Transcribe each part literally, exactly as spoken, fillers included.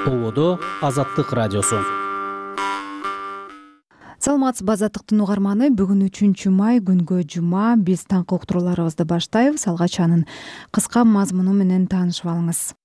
Ободо Азаттык радиосу. Саламатсызбы Азаттыктын угарманы. Бүгүн үчүнчү май күнгө жума. Биз таңкы уктурууларыбызды баштайбыз. Алгач анын кыска мазмуну менен таанышып алыңыз.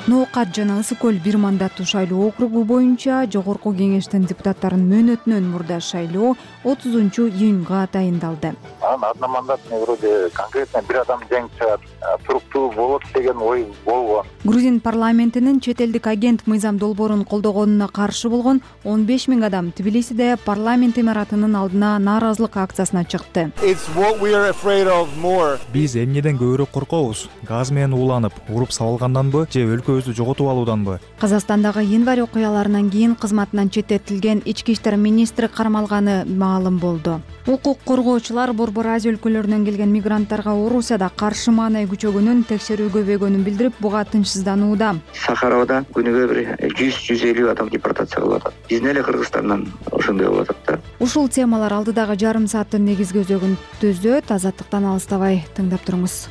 Ноокат жана Ысык көл бир мандаттуу шайлоо округу боюнча жогорку кеңештин депутаттарын мөөнөтүнөн мурда шайлоо отузунчу июнга тайындалды. Одномандатный вроде конкретно бир адам жеңип чыгат, туруктуу болот деген ой болгон. Грузин парламентинин чет элдик агент Мыйзам Долбоорун колдогонуна каршы болгон он беш миң адам Тбилисиде парламент имаратынын алдына нааразылык акциясына чыкты. Биз эмнеден көбүрөөк коркобуз? Газ менен ууланып, уруп сабалганданбы же өлкөбүздү жоготуп алууданбы? Казакстандагы январь окуяларынан кийин кызматынан четтетилген ички иштер министри кармалганы маалым болду. Укук коргоочулар Борбор Азия өлкөлөрүнөн келген мигранттарга Орусияда каршы маанай күчөгөнүн текшерүү көбөйгөнүн билдирип, буга тынчсызданууда. Сахаровда күнүгө бир жүз жүз элүү адам депортация кылып атат. Биздин эле Кыргызстандан ошондой болуп атат да. Ушул темалар алдыдагы жарым сааттын негизги өзөгүн түзөт. Азаттыктан алыстабай тыңдап туруңуз.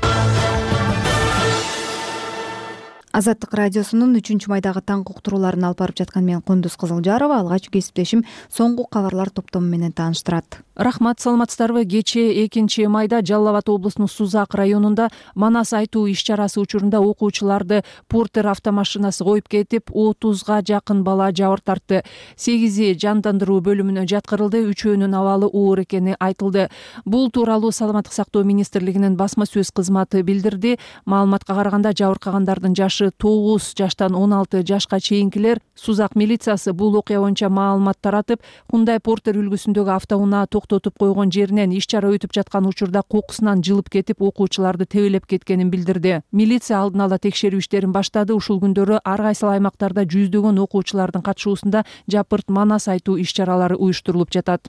Азаттык радиосунун үчүнчү майдагы таңкы уктурууларын алып барып жаткан мен Кундуз Кызылжарова. Алгач кесиптешим соңку кабарлар топтому менен тааныштырат. Рахмат, саламатсыздарбы? Кечээ экинчи майда Жалал Абад облусунун Сузак районунда Манас айтуу иш-чарасы учурунда окуучуларды Портер автомашинасы коюп кетип, отузга жакын бала жабыр тартты. сегизи жандандыруу бөлүмүнө жаткырылды, үчөөнүн абалы оор экени айтылды. Бул тууралуу Саламаттык сактоо министрлигинин басма сөз кызматы билдирди. Маалыматка караганда жабыркагандардын жашы тогуз жаштан он алты жашка чейинкилер. Сузак милициясы бул окуя боюнча маалымат таратып, Hyundai Портер үлгүсүндөгү автоунаа токтотуп койгон жеринен иш-чара өтүп жаткан учурда кокусунан жылып кетип, окуучуларды тебелеп кеткенин билдирди. Милиция алдын ала текшерүү иштерин баштады. Ушул күндөрү ар кайсыл аймактарда жүздөгөн окуучулардын катышуусунда жапырт Манас айтуу иш-чаралары уюштурулуп жатат.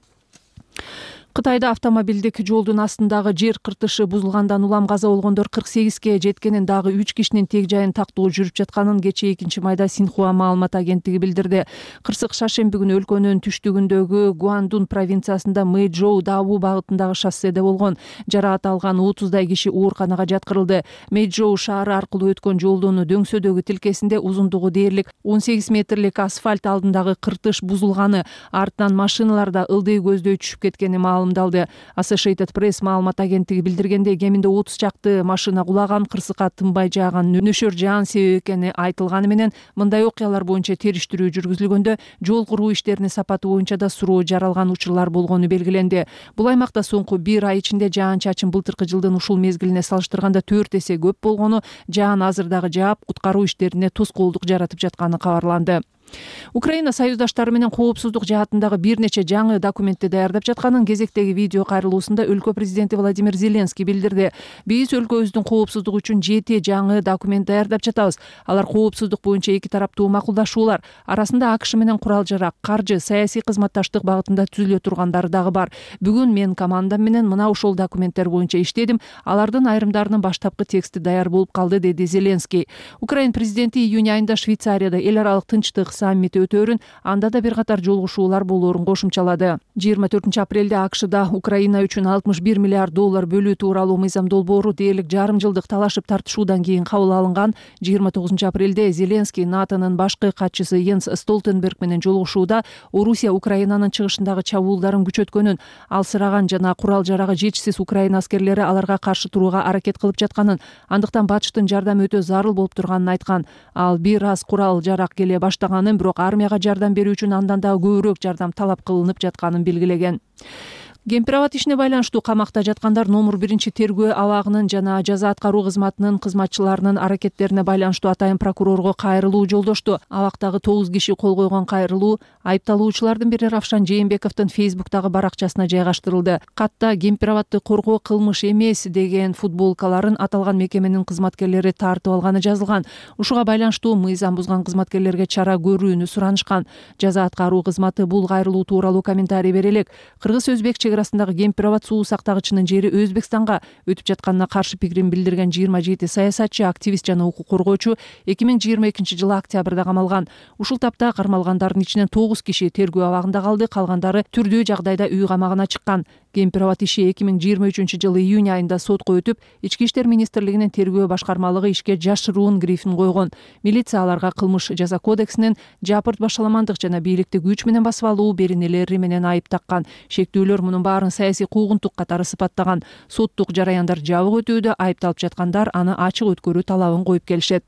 Кытайда автомобилдик жолдун астындагы жер кыртышы бузулгандан улам каза болгондор кырк сегизге жеткенин, дагы үч кишинин тег жайын тактоо жүрүп жатканын кечээ экинчи майда Синхуа маалымат агенттиги билдирди. Кырсык шаршемби күнү өлкөнүн түштүгүндөгү Гуандун провинциясында Мэйчжоу Даабу багытындагы шосседе болгон. Жаракат алган отуздай киши ооруканага жаткырылды. Мэйчжоу шаары аркылуу өткөн жолдун дөңсөдөгү тилкесинде узундугу дээрлик он сегиз метрлик асфальт алдындагы кыртыш бузулганы, артынан машиналарда ылдый көздөй түшүп кеткени маалымдалды. Associated Press маалымат агенттиги билдиргендей, кеминде отуз чакты машина кулаган, кырсыкка тынбай жааган нөшөр жаан себеп экени айтылганы менен, мындай окуялар боюнча териштирүү жүргүзүлгөндө жол куруу иштеринин сапаты боюнча да суроо жаралган учурлар болгону белгиленди. Бул аймакта соңку бир ай ичинде жаан-чачын былтыркы жылдын ушул мезгилине салыштырганда төрт эсе көп болгону, жаан азыр дагы жаап, куткаруу иштерине тоскоолдук жаратып жатканы кабарланды. Украина союздаштары менен коопсуздук жаатындагы бир нече жаңы документти даярдап жатканын кезектеги видео кайрылуусунда өлкө президенти Владимир Зеленский билдирди. Биз өлкөбүздүн коопсуздугу үчүн жети жаңы документ даярдап жатабыз. Алар коопсуздук боюнча эки тараптуу макулдашуулар, арасында АКШ менен курал-жарак, каржы, саясий кызматташтык багытында түзүлө тургандары дагы бар. Бүгүн мен командам менен мына ушул документтер боюнча иштедим. Алардын айрымдарынын баштапкы тексти даяр болуп калды, деди Зеленский. Украина президенти июнь айында Швейцарияда эл аралык тынчтык саммити өтөөрүн, анда да бир катар жолугушуулар болоорун кошумчалады. жыйырма төртүнчү апрелде АКШда Украина үчүн алтымыш бир миллиард доллар бөлүү тууралуу Мыйзам Долбоору дээрлик жарым жылдык талашып тартышуудан кийин кабыл алынган. жыйырма тогузунчу апрелде Зеленский НАТОнун башкы катчысы Йенс Столтенберг менен жолугушууда Орусия Украинанын чыгышындагы чабуулдарын күчөткөнүн, алсыраган жана курал-жарагы жетишсиз Украина аскерлери аларга каршы турууга аракет кылып жатканын, андыктан батыштын жардамы өтө зарыл болуп турганын айткан. Ал бир аз курал-жарак келе баштаган, бирок армияга жардам берүү үчүн андан дагы көбүрөөк жардам талап кылынып жатканын белгилеген. Кемпирабад ишине байланыштуу камакта жаткандар номер биринчи тергөө абагынын жана жаза аткаруу кызматынын кызматчыларынын аракеттерине байланыштуу атайын прокурорго кайрылуу жолдошту. Абактагы тогуз киши кол койгон кайрылуу айыпталуучулардын бири Равшан Жээнбековдун Фейсбуктагы баракчасына жайгаштырылды. Катта Кемпирабадды коргоо кылмыш эмес деген футболкаларын аталган мекеменин кызматкерлери тартып алганы жазылган. Ушуга байланыштуу мыйзам бузган кызматкерлерге чара көрүүнү суранышкан. Жаза аткаруу кызматы бул кайрылуу тууралуу комментарий бере элек. Кыргыз-өзбек чек-арасындагы Кемпирабад суу сактагычынын жери Өзбекстанга өтүп жатканына каршы пикирин билдирген жыйырма жети саясатчы, активист жана укук коргоочу эки миң жыйырма экинчи жылы октябрда камалган. Ушул тапта кармалгандардын ичинен тогуз киши тергөө абагында калды, калгандары түрдүү жагдайда үй камагына чыккан. кемпир абад иши эки миң жыйырма үчүнчү жылы июнь айында сотко өтүп, Ички иштер министрлигинин тергөө башкармалыгы ишке жашыруун грифин койгон. Милиция аларга кылмыш жаза кодексинин жапырт башаламандык жана бийликти күч менен басып алуу беренелери менен айып таккан. Шектүүлөр мунун баарын саясий куугунтук катары сыпаттаган. Соттук жараяндар жабык өтүүдө, айыпталып жаткандар аны ачык өткөрүү талабын коюп келишет.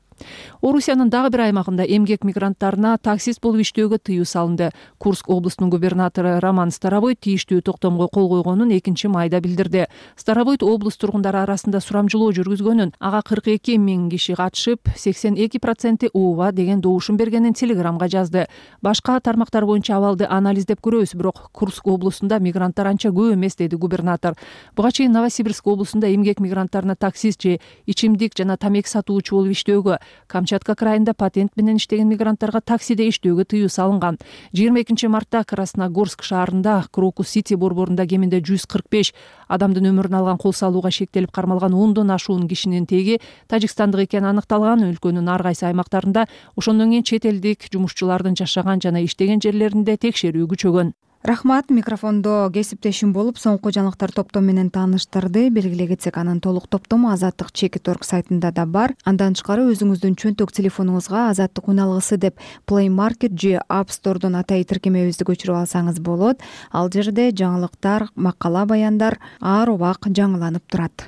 Орусиянын дагы бир аймагында эмгек мигранттарына таксист болуп иштөөгө тыюу салынды. Курск облусунун губернатору Роман Старовойт тийиштүү токтомго кол койгонун экинчи майда билдирди. Старовойт облус тургундары арасында сурамжылоо жүргүзгөнүн, ага кырк эки миң киши катышып, сексен эки проценти ооба деген добушун бергенин телеграмга жазды. Башка тармактар боюнча абалды анализдеп көрөбүз, бирок Курск облусунда мигранттар анча көп эмес, деди губернатор. Буга чейин Новосибирск облусунда эмгек мигранттарына таксист же ичимдик жана тамеки сатуучу болуп иштөөгө, Камчатка крайында патент менен иштеген мигранттарга таксиде иштөөгө тыюу салынган. жыйырма экинчи мартта Красногорск шаарында Крокус Сити борборунда кеминде жүз кырк беш адамдын өмүрүн алган кол салууга шектелип кармалган ондон ашуун кишинин теги тажикстандык экени аныкталган. Өлкөнүн ар кайсы аймактарында ошондон кийин чет элдик жумушчулардын жашаган жана иштеген жерлеринде текшерүү күчөгөн. Рахмат, микрофондо кесиптешим болуп соңку жаңылыктар топтому менен тааныштырды. Белгилей кетсек, анын толук топтому Азаттык чекит орг сайтында да бар. Андан тышкары өзүңүздүн чөнтөк телефонуңузга Азаттык үн алгысы деп Play Market же App Store'дон атай тиркемебизди көчүрүп алсаңыз болот. Ал жерде жаңылыктар, макала, баяндар ар убак жаңыланып турат.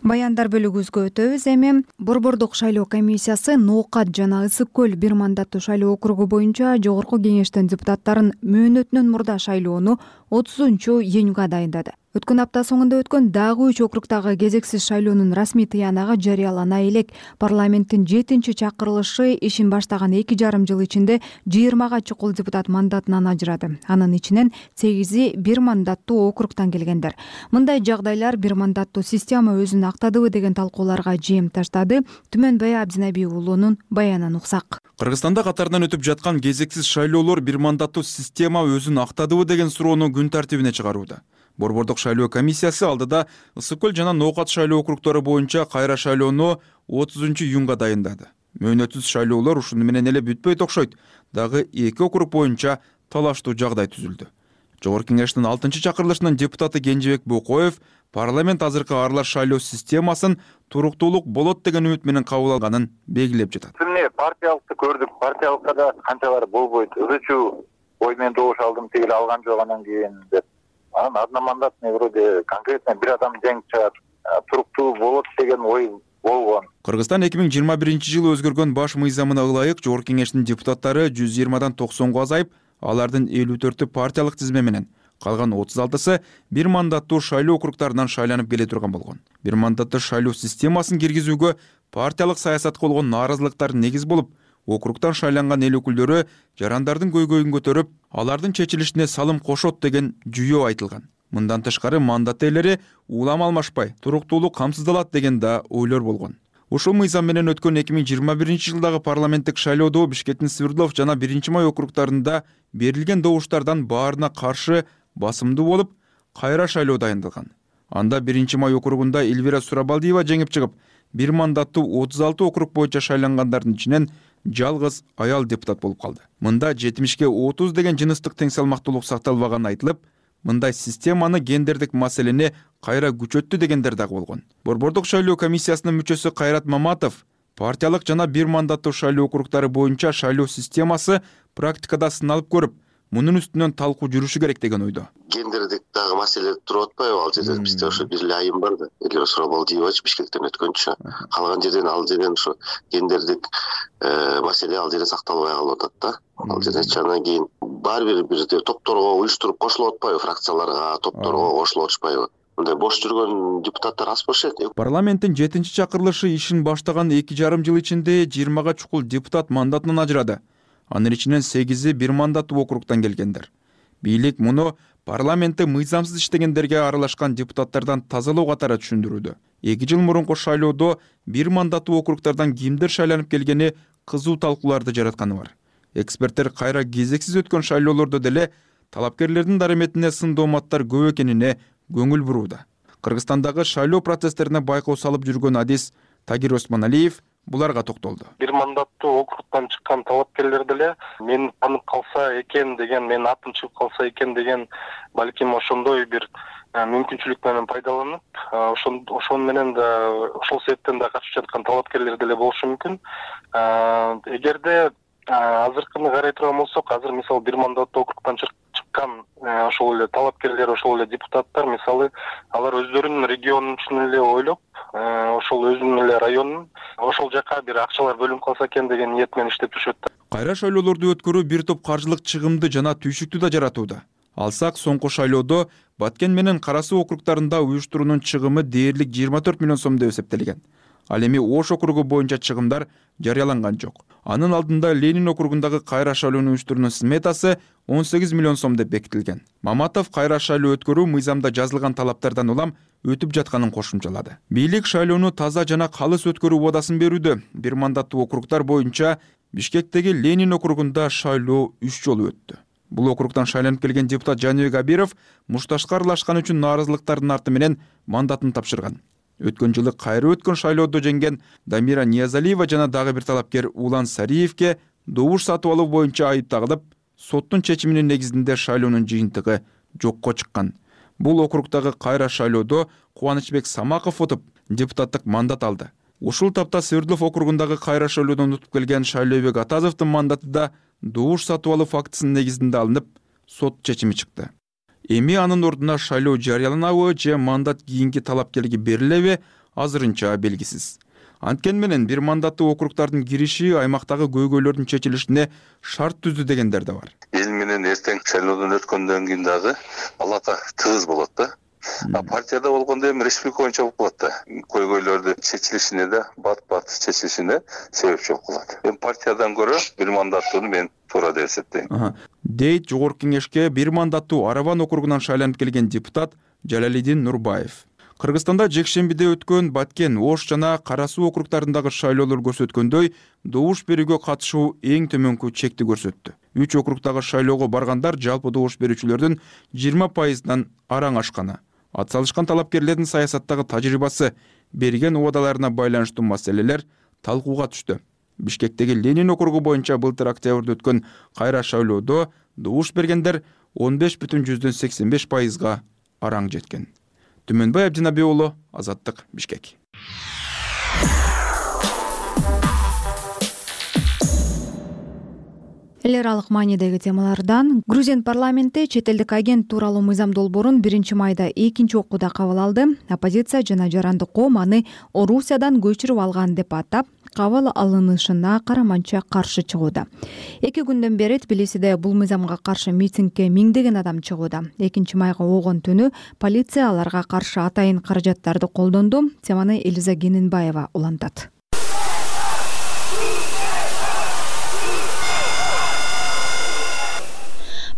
Баяндар бөлүгүбүзгө өтөбүз эми. Борбордук шайлоо комиссиясы Ноокат жана Ысык көл бир мандаттуу шайлоо округу боюнча жогорку кеңештин депутаттарын мөөнөтүнөн мурда шайлоону отузунчу июнга дайындады. Өткөн апта соңунда өткөн дагы үч округдагы кезексиз шайлоонун расмий тыянагы жарыялана элек. Парламенттин жетинчи чакырылышы ишин баштаган эки жарым жыл ичинде жыйырмага чукул депутат мандатынан ажырады. Анын ичинен сегизи бир мандаттуу округдан келгендер. Мындай жагдайлар бир мандаттуу система өзүн актадыбы деген талкууларга жем таштады. Түмөнбай Абдинабий уулунун баянын уксак. Кыргызстанда катарынан өтүп жаткан кезексиз шайлоолор бир мандаттуу система өзүн актадыбы деген суроону күн тартибине чыгарууда. Борбордук шайлоо комиссиясы алдыда Ысык көл жана Ноокат шайлоо округдору боюнча кайра шайлоону отузунчу июнга дайындады. Мөөнөтсүз шайлоолор ушуну менен эле бүтпөйт окшойт. Дагы эки округ боюнча талаштуу жагдай түзүлдү. Жогорку кеңештин алтынчы чакырылышынын депутаты Кенжебек Бокоев парламент азыркы аралаш шайлоо системасын туруктуулук болот деген үмүт менен кабыл алганын белгилеп жатат. Эмне партиялыкты көрдүк, партиялыкка да канчалар болбойт. Өзүчү ой менен добуш алдым, тигил алган жок анан кийин деп. Анан одномандатный вроде конкретно бир адам жеңип чыгат, туруктуу болот деген ой болгон. Кыргызстан эки миң жыйырма биринчи жылы өзгөргөн баш мыйзамына ылайык жогорку кеңештин депутаттары жүз жыйырмадан токсонго азайып, алардын элүү төртү партиялык тизме менен, калган отуз алтысы бир мандаттуу шайлоо округдарынан шайланып келе турган болгон. Бир мандаттуу шайлоо системасын киргизүүгө партиялык саясатка болгон нааразылыктар негиз болуп, округдан шайланган эл өкүлдөрү жарандардын көйгөйүн көтөрүп, алардын чечилишине салым кошот деген жүйө айтылган. Мындан тышкары мандат ээлери улам алмашпай, туруктуулук камсыздалат деген да ойлор болгон. Ушул мыйзам менен өткөн эки миң жыйырма биринчи жылдагы парламенттик шайлоодо Бишкектин Свердлов жана биринчи май округдарында берилген добуштардан баарына каршы басымдуу болуп, кайра шайлоо дайындалган. Анда биринчи май округунда Эльвира Сурабалдиева жеңип чыгып, бир мандаттуу отуз алты округ боюнча шайлангандардын ичинен жалгыз аял депутат болуп калды. Мында жетимишке отуз деген жыныстык тең салмактуулук сакталбаганы айтылып, мындай системаны гендердик маселени кайра күчөттү дегендер дагы болгон. Борбордук шайлоо комиссиясынын мүчөсү Кайрат Маматов партиялык жана бир мандаттуу шайлоо округдары боюнча шайлоо системасы практикада сыналып көрүп, мунун үстүнөн талкуу жүрүшү керек деген ойдо. Гендердик дагы маселе туруп атпайбы? Ал жерде бизде ошо бир эле айым бар да. Эле Сурабалдиевач Бишкектен өткөнчү. Калган жерден ал жерден ошо гендердик маселе ал жерде сакталбай калып атат да. Ал жерде андан кийин баары бир бир топторго уюштуруп кошулуп атпайбы, фракцияларга, топторго кошулуп атышпайбы? Мындай бош жүргөн депутаттар аз болушат. Парламенттин жетинчи чакырылышы ишин баштаган эки жарым жыл ичинде жыйырмага чукул депутат мандатынан ажырады. Анын ичинен сегизи бир мандаттуу округдан келгендер. Бийлик муну парламентте мыйзамсыз иштегендерге аралашкан депутаттардан тазалоо катары түшүндүрүүдө. эки жыл мурунку шайлоодо бир мандаттуу округдардан кимдер шайланып келгени кызуу талкууларды жаратканы бар. Эксперттер кайра кезексиз өткөн шайлоолордо деле талапкерлердин дараметине сын дооматтар көп экенине көңүл бурууда. Кыргызстандагы шайлоо процесстерине байкоо салып жүргөн адис Тагир Осмоналиев буларга токтолду. Бир мандаттуу округтан чыккан талапкерлер деле мени таанып калса экен деген, менин атым чыгып калса экен деген балким ошондой бир мүмкүнчүлүк менен пайдаланып, ошон ошон менен да ошол себептен да катышып жаткан талапкерлер деле болушу мүмкүн. Эгерде азыркыны карай турган болсок, азыр мисалы бир мандаттуу округтан чыккан ошол эле талапкерлер, ошол эле депутаттар мисалы алар өздөрүнүн регионун үчүн эле ойлоп, ошол өзүнүн эле районун ошол жака бир акчалар бөлүнүп калса экен деген ниет менен иштеп жүрүшөт. Кайра шайлоолорду өткөрүү бир топ каржылык чыгымды жана түйшүктү да жаратууда. Алсак, соңку шайлоодо Баткен менен Кара Суу округтарында уюштуруунун чыгымы дээрлик жыйырма төрт миллион сом деп эсептелген. Ал эми Ош округу боюнча чыгымдар жарыяланган жок. Анын алдында Ленин округундагы кайра шайлоону уюштуруунун сметасы он сегиз миллион сом деп бекитилген. Маматов кайра шайлоо өткөрүү мыйзамда жазылган талаптардан улам өтүп жатканын кошумчалады. Бийлик шайлоону таза жана калыс өткөрүү убадасын берүүдө. Бир мандаттуу округтар боюнча Бишкектеги Ленин округунда шайлоо үч жолу өттү. Бул округтан шайланып келген депутат Жаныбек Абиров мушташка аралашкан үчүн нааразылыктардын арты менен мандатын тапшырган. Өткөн жылы кайра өткөн шайлоодо жеңген Дамира Ниязалиева жана дагы бир талапкер Улан Сариевке добуш сатып алуу боюнча айып тагылып, соттун чечиминин негизинде шайлоонун жыйынтыгы жокко чыккан. Бул округдагы кайра шайлоодо Кубанычбек Самаков отуп, депутаттык мандат алды. Ушул тапта Свердлов округундагы кайра шайлоодон утуп келген Шайлообек Атазовдун мандаты да добуш сатып алуу фактысынын негизинде алынып, сот чечими чыкты. Эми анын ордуна шайлоо жарыяланабы же мандат кийинки талапкерге берилеби азырынча белгисиз. Анткени менен бир мандаттуу округтардын кириши аймактагы көйгөйлөрдүн чечилишине шарт түздү дегендер да бар. Эл менен эртең шайлоодон өткөндөн кийин дагы алака тыгыз болот да. А партияда болгондо эми республика боюнча болуп калат да. Көйгөйлөрдү чечилишине да, бат-бат чечилишине себепчи болуп калат. Эми партиядан көрө бир мандаттууну мен туура деп эсептейм. Дейт жогорку кеңешке бир мандаттуу Араван округунан шайланып келген депутат Жалалидин Нурбаев. Кыргызстанда жекшембиде өткөн Баткен, Ош жана Кара Суу округтарындагы шайлоолор көрсөткөндөй, добуш берүүгө катышуу эң төмөнкү чекти көрсөттү. Үч округдагы шайлоого баргандар жалпы добуш берүүчүлөрдүн жыйырма пайызынан араң ашканы. Атсалышкан талапкерлердин саясаттагы тажрыйбасы, берген убадаларына байланыштуу маселелер талкууга түштү. Бишкектеги Ленин округу боюнча былтыр октябрда өткөн кайра шайлоодо добуш бергендер он беш бүтүн жүздөн сексен беш пайызга араң жеткен. Түмөнбай Абдинабий уулу, Азаттык, Бишкек. Эл аралык маанидеги темалардан Грузин парламенти чет элдик агент тууралуу мыйзам долбоорун биринчи майда экинчи окууда кабыл алды. Оппозиция жана жарандык коом аны Орусиядан көчүрүп алган деп атап, кабыл алынышына караманча каршы чыгууда. Эки күндөн бери Тбилисиде бул мыйзамга каршы митингге миңдеген адам чыгууда. экинчи майга огон түнү полиция аларга каршы атайын каражаттарды колдонду. Теманы Элиза Генинбаева улантат.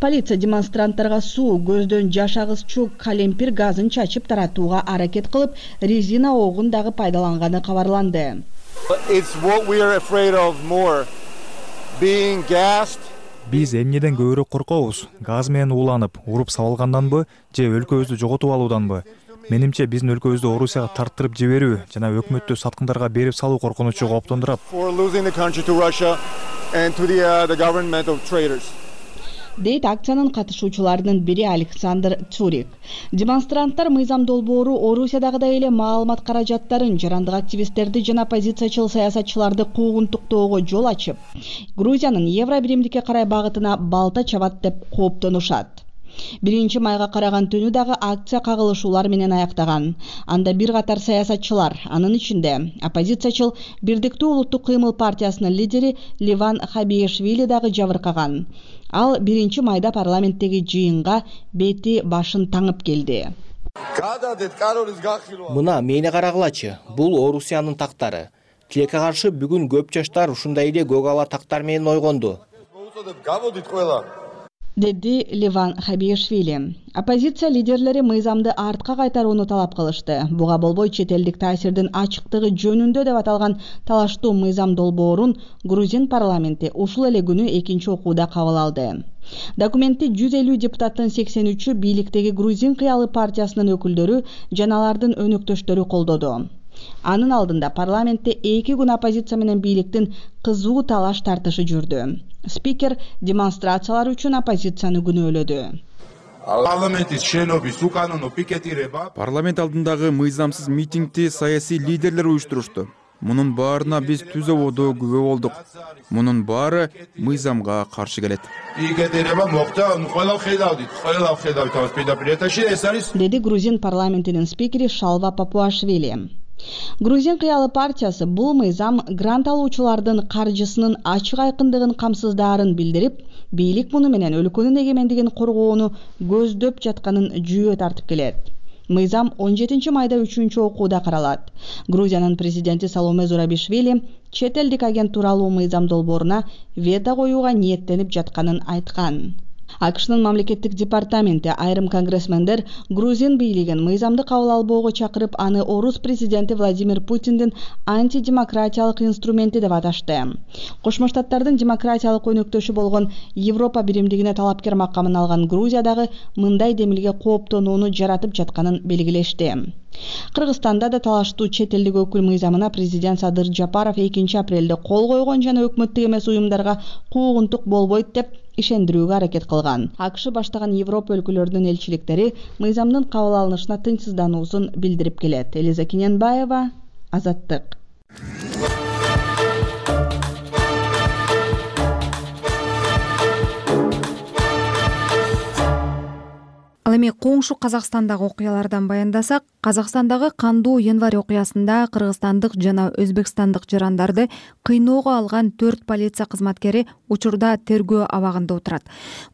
Полиция демонстранттарга суу, көздөн жаш агызчу калемпир газын чачып таратууга аракет кылып, резина огун дагы пайдаланганы кабарланды. Биз эмнеден көбүрөөк коркобуз? Газ менен ууланып, уруп сабалганданбы же өлкөбүздү жоготуп алууданбы? Менимче биздин өлкөбүздү Орусияга тарттырып жиберүү жана өкмөттү саткындарга берип салуу коркунучу кооптондурат. Дейт акциянын катышуучуларынын бири Александр Цурик. Демонстранттар мыйзам долбоору Орусиядагыдай эле маалымат каражаттарын, жарандык активисттерди жана оппозициячыл саясатчыларды куугунтуктоого жол ачып, Грузиянын евро биримдикке карай багытына балта чабат деп кооптонушат. Биринчи майга караган түнү дагы акция кагылышуулар менен аяктаган. Анда бир катар саясатчылар, анын ичинде оппозициячыл Бирдиктүү улуттук кыймыл партиясынын лидери Ливан Хабиешвили дагы жабыркаган. Ал биринчи майда парламенттеги жыйынга бети башын таңып келди. Мына мени карагылачы, бул Орусиянын тактары. Тилекке каршы бүгүн көп жаштар ушундай эле көк ала тактар менен ойгонду. Деди Ливан Хабиешвили. Оппозиция лидерлери мыйзамды артка кайтарууну талап кылышты. Буга болбой чет элдик таасирдин ачыктыгы жөнүндө деп аталган талаштуу мыйзам долбоорун Грузин парламенти ушул эле күнү экинчи окууда кабыл алды. Документти жүз элүү депутаттын сексен үчү бийликтеги Грузин кыялы партиясынын өкүлдөрү жана алардын өнөктөштөрү колдоду. Анын алдында парламентте эки күн оппозиция менен бийликтин кызуу талаш тартышы жүрдү. Спикер демонстрациялар үчүн оппозицияны күнөөлөдү. Парламент алдындагы мыйзамсыз митингди саясий лидерлер уюштурушту. Мунун баарына биз түз ободо күбө болдук. Мунун баары мыйзамга каршы келет. Деди Грузин парламентинин спикери Шалва Папуашвили. Грузин кыялы партиясы бул мыйзам грант алуучулардын каржысынын ачык айкындыгын камсыздаарын билдирип, бийлик муну менен өлкөнүн эгемендигин коргоону көздөп жатканын жүйө тартып келет. Мыйзам он жетинчи майда үчүнчү окууда каралат. Грузиянын президенти Саломе Зурабишвили чет элдик агент тууралуу мыйзам долбооруна вето коюуга ниеттенип жатканын айткан. АКШнын мамлекеттик департаменти айрым конгрессмендер грузин бийлигин мыйзамды кабыл албоого чакырып, аны орус президенти Владимир Путиндин антидемократиялык инструменти деп аташты. Кошмо Штаттардын демократиялык өнөктөшү болгон Европа биримдигине талапкер макамын алган Грузия дагы мындай демилге кооптонууну жаратып жатканын белгилешти. Кыргызстанда да талаштуу чет элдик өкүл мыйзамына президент Садыр Жапаров экинчи апрелде кол койгон жана өкмөттүк эмес уюмдарга куугунтук болбойт деп ишендирүүгө аракет кылган. АКШ баштаган Европа өлкөлөрүнүн элчиликтери мыйзамдын кабыл алынышына тынчсыздануусун билдирип келет. Элиза Кененбаева, Азаттык. Ал эми коңшу Казакстандагы окуялардан баяндасак, Казакстандагы кандуу январь окуясында кыргызстандык жана өзбекстандык жарандарды кыйноого алган төрт полиция кызматкери учурда тергөө абагында отурат.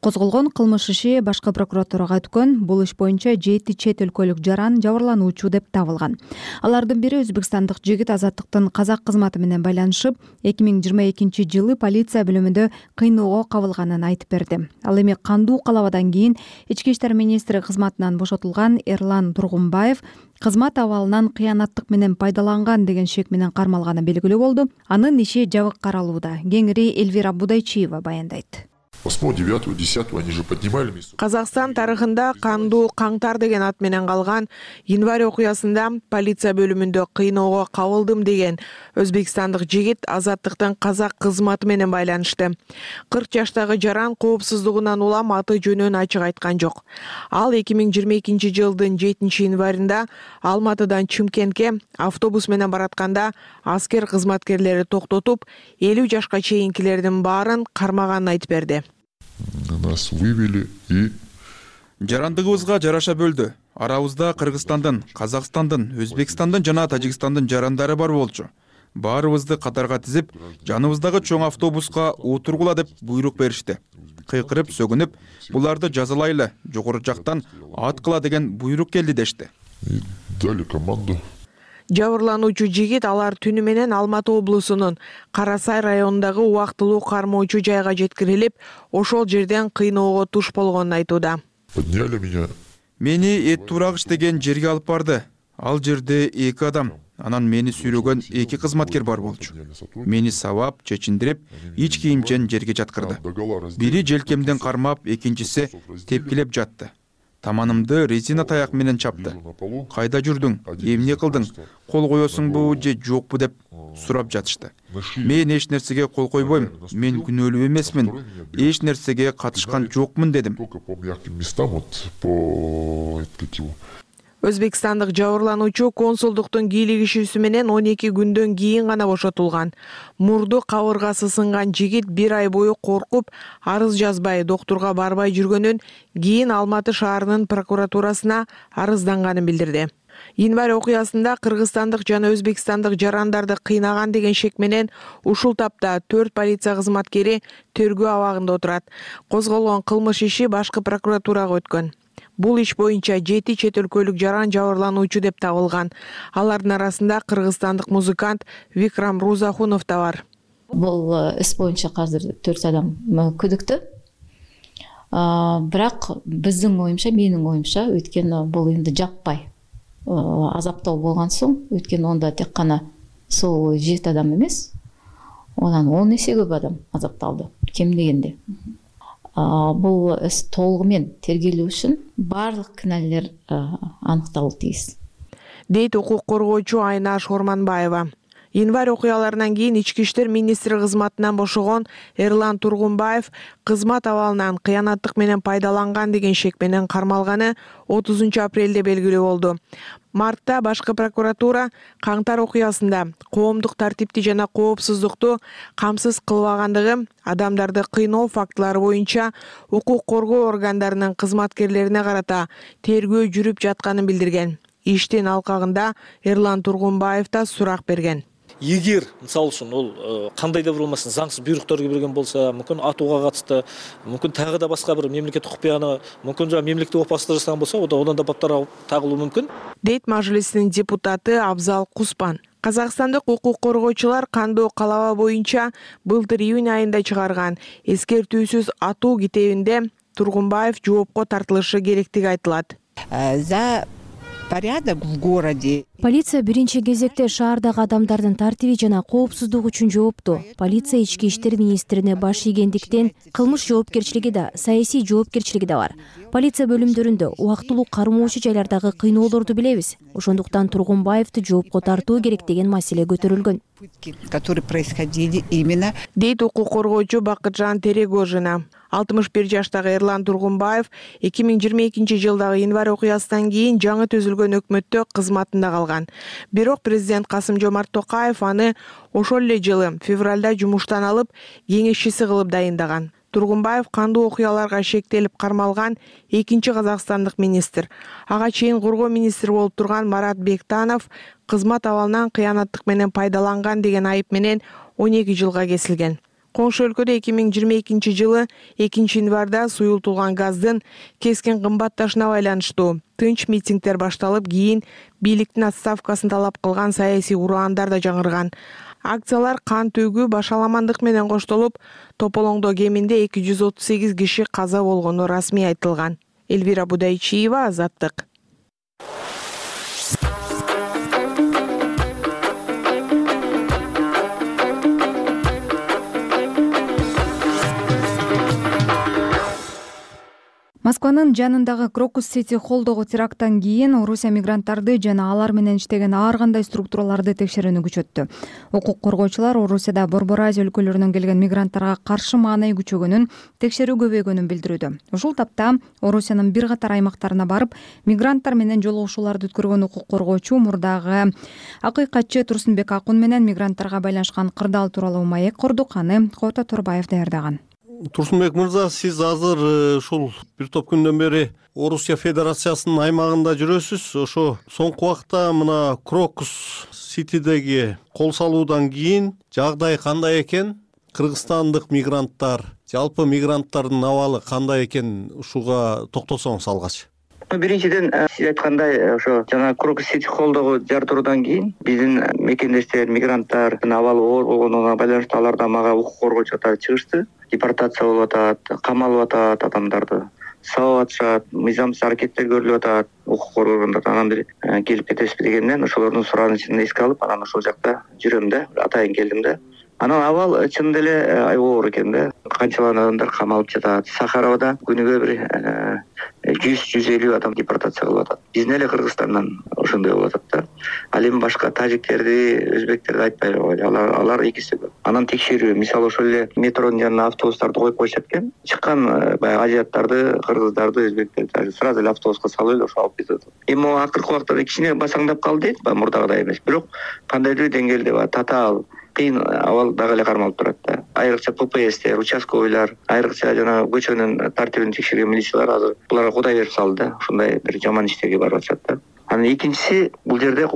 Козголгон кылмыш иши башкы прокуратурага өткөн. Бул иш боюнча жети чет өлкөлүк жаран жабырлануучу деп табылган. Алардын бири өзбекстандык жигит Азаттыктын казак кызматы менен байланышып, эки миң жыйырма экинчи жылы полиция бөлүмүндө кыйноого кабылганын айтып берди. Ал эми кандуу калабадан кийин ички иштер министри кызматынан бошотулган Эрлан Тургунбаев кызмат абалынан кыянаттык менен пайдаланган деген шек менен кармалганы белгилүү болду. Анын иши жабык каралууда. Кеңири Эльвира Будайчиева баяндайт. восьмого, девятого, десятого они же поднимали. Казакстан тарыхында кандуу каңтар деген ат менен калган январь окуясында полиция бөлүмүндө кыйноого кабылдым деген өзбекстандык жигит Азаттыктын казак кызматы менен байланышты. кырк жаштагы жаран коопсуздугунан улам аты жөнүн ачык айткан жок. Ал эки миң жыйырма экинчи жылдын жетинчи январында Алматыдан Чымкентке автобус менен баратканда аскер кызматкерлери токтотуп, элүү жашка чейинкилердин баарын кармаганын айтып берди. Нас вывели и жарандыгыбызга жараша бөлдү. Арабызда Кыргызстандын, Казакстандын, Өзбекстандын жана Тажикстандын жарандары бар болчу. Баарыбызды катарга тизип, жаныбыздагы чоң автобуска отургула деп буйрук беришти. Кыйкырып, сөгүнүп, буларды жазалайлы, жогору жактан аткыла деген буйрук келди дешти. И дали команду. Жабырлануучу жигит алар түнү менен Алматы облусунун Карасай районундагы убактылуу кармоочу жайга жеткирилип, ошол жерден кыйноого туш болгонун айтууда. Подняли меня. Мени эт турагыч деген жерге алып барды. Ал жерде эки адам, анан мени сүйрөгөн эки кызматкер бар болчу. Мени сабап, чечиндирип, ич кийимчен жерге жаткырды. Бири желкемден кармап, экинчиси тепкилеп жатты. Таманымды резина таяк менен чапты. Кайда жүрдүң? Эмне кылдың? Кол коесуңбу же жокпу деп сурап жатышты. Мен эч нерсеге кол койбойм. Мен күнөөлүү эмесмин. Эч нерсеге катышкан жокмун дедим. Өзбекстандык жабырлануучу консулдуктун кийлигишүүсү менен он эки күндөн кийин гана бошотулган. Мурду кабыргасы сынган жигит бир ай бою коркуп, арыз жазбай, доктурга барбай жүргөнүн, кийин Алматы шаарынын прокуратурасына арызданганын билдирди. Январь окуясында кыргызстандык жана өзбекстандык жарандарды кыйнаган деген шек менен ушул тапта төрт полиция кызматкери тергөө абагында отурат. Козголгон кылмыш иши башкы прокуратурага өткөн. Бул иш боюнча жети чет өлкөлүк жаран жабырлануучу деп табылган. Алардын арасында кыргызстандык музыкант Викрам Рузахунов да бар. Бул іс боюнча азыр төрт адам күдүктүү. Бирок биздин оюмча, менин оюмча, өйткөнү бул эми жаппай азаптоо болгон соң, өйткөнү онда тек гана сол жети адам эмес, онан он эсе көп адам азапталды, кем дегенде. Бул іс толугу менен тергелүү үчүн барлык кінәлілер анықталуу тийиз. дейт укук коргоочу Айнаш Орманбаева. Январь окуяларынан кийин ички иштер министри кызматынан бошогон Эрлан Тургунбаев кызмат абалынан кыянаттык менен пайдаланган деген шек менен кармалганы отузунчу апрелде белгилүү болду. Мартта башкы прокуратура Каңтар окуясында коомдук тартипти жана коопсуздукту камсыз кылбагандыгы, адамдарды кыйноо фактылары боюнча укук коргоо органдарынын кызматкерлерине карата тергөө жүрүп жатканын билдирген. Иштин алкагында Эрлан Тургунбаев да сурак берген. Эгер, мисалы үчүн, ол кандай да бир болмасын заңсыз буйруктарды берген болсо, мүмкүн атууга катышты, мүмкүн тагы да башка бир мемлекеттик укуганы, мүмкүн жана мемлекеттик опасыздык жасаган болсо, одан да баптар тагылуу мүмкүн. Дейт Мажлистин депутаты Абзал Куспан. Казакстандык укук коргоочулар кандоо калаба боюнча былтыр июнь айында чыгарган эскертүүсүз атуу китебинде Тургунбаев жоопко тартылышы керектиги айтылат. За порядок в городе. Полиция биринчи кезекте шаардагы адамдардын тартиби жана коопсуздугу үчүн жоопту. Полиция ички иштер министрине баш ийгендиктен кылмыш жоопкерчилиги да, саясий жоопкерчилиги да бар. Полиция бөлүмдөрүндө убактылуу кармоочу жайлардагы кыйноолорду билебиз. Ошондуктан Тургунбаевди жоопко тартуу керек деген маселе көтөрүлгөн. Которые происходили именно. Дейт укук коргоочу Бакытжан Терегожина. алтымыш бир жаштагы Эрлан Тургунбаев эки миң жыйырма экинчи жылдагы январь окуясынан кийин жаңы түзүлгөн өкмөттө кызматында калган. Бирок президент Касым Жомарт Токаев аны ошол эле жылы февралда жумуштан алып, кеңешчиси кылып дайындаган. Тургунбаев кандуу окуяларга шектелип кармалган экинчи казакстандык министр. Ага чейин коргоо министри болуп турган Марат Бектанов кызмат абалынан кыянаттык менен пайдаланган деген айып менен он эки жылга кесилген. Коңшу өлкөдө эки миң жыйырма экинчи жылы экинчи январда суюлтулган газдын кескин кымбатташына байланыштуу тынч митингдер башталып, кийин бийликтин отставкасын талап кылган саясий ураандар да жаңырган. Акциялар кан төгүү, башаламандык менен коштолуп, Тополоңдо кеминде эки жүз отуз сегиз киши каза болгону расмий айтылган. Элвира Будайчиева, Азаттык. Москванын жанындагы Крокус Сити холлдогу теракттан кийин Орусия мигранттарды жана алар менен иштеген ар кандай структураларды текшерүүнү күчөттү. Укук коргоочулар Орусияда Борбор Азия өлкөлөрүнөн келген мигранттарга каршы маанай күчөгөнүн, текшерүү көбөйгөнүн билдирүүдө. Ушул тапта Орусиянын бир катар аймактарына барып, мигранттар менен жолугушууларды өткөргөн укук коргоочу мурдагы акыйкатчы Турсунбек Акун менен мигранттарга байланышкан кырдаал тууралуу маек курдук. Аны Кота Турбаев даярдаган. Турсунбек мырза, сиз азыр ушул бир топ күндөн бери Орусия Федерациясынын аймагында жүрөсүз. Ошо соңку убакта мына Крокус Ситидеги кол салуудан кийин жагдай кандай экен? Кыргызстандык мигранттар, жалпы мигранттардын абалы кандай экен? Ушуга токтосоңуз алгач. Биринчиден, сиз айткандай, ошо жана Крокус Сити холлдогу жар туруудан кийин биздин мекендештер, мигранттардын абалы оор болгонуна байланыштуу аларда мага укук коргоочулар чыгышты. Депортация болуп атат, камалып атат адамдарды, сабап атышат, мыйзамсыз аракеттер көрүлүп атат, укук коргоо органдарынан анан бир келип кетесизби дегенден ошолордун суранычын эске алып, анан ошол жакта жүрөм да, атайын келдим да. Анан абал чын деле аябай оор экен да. Канчалган адамдар камалып жатат. Сахаровада күнүгө бир жүз жүз элүү адам депортация кылып атат. Биздин эле Кыргызстандан ошондой болуп атат да. Ал эми башка тажиктерди, өзбектерди айтпай койгойлу. Алар алар экиси көп. Анан текшерүү, мисалы ошол эле метронун жанына автобустарды коюп койушат экен. Чыккан баягы азиаттарды, кыргыздарды, өзбектерди сразу эле автобуска салып эле ошо алып кетет. Эми акыркы убакта кичине басаңдап калды дейт, мурдагыдай эмес. Бирок кандайдыр деңгээлде бар, татаал кыйын абал дагы эле кармалып турат да. Айрыкча ППСтер, участковыйлар, айрыкча жана көчөнүн тартибин текшерген милициялар азыр буларга кудай берип салды да. Ушундай бир жаман иштерге барып атышат да. Анан экинчиси, бул жерде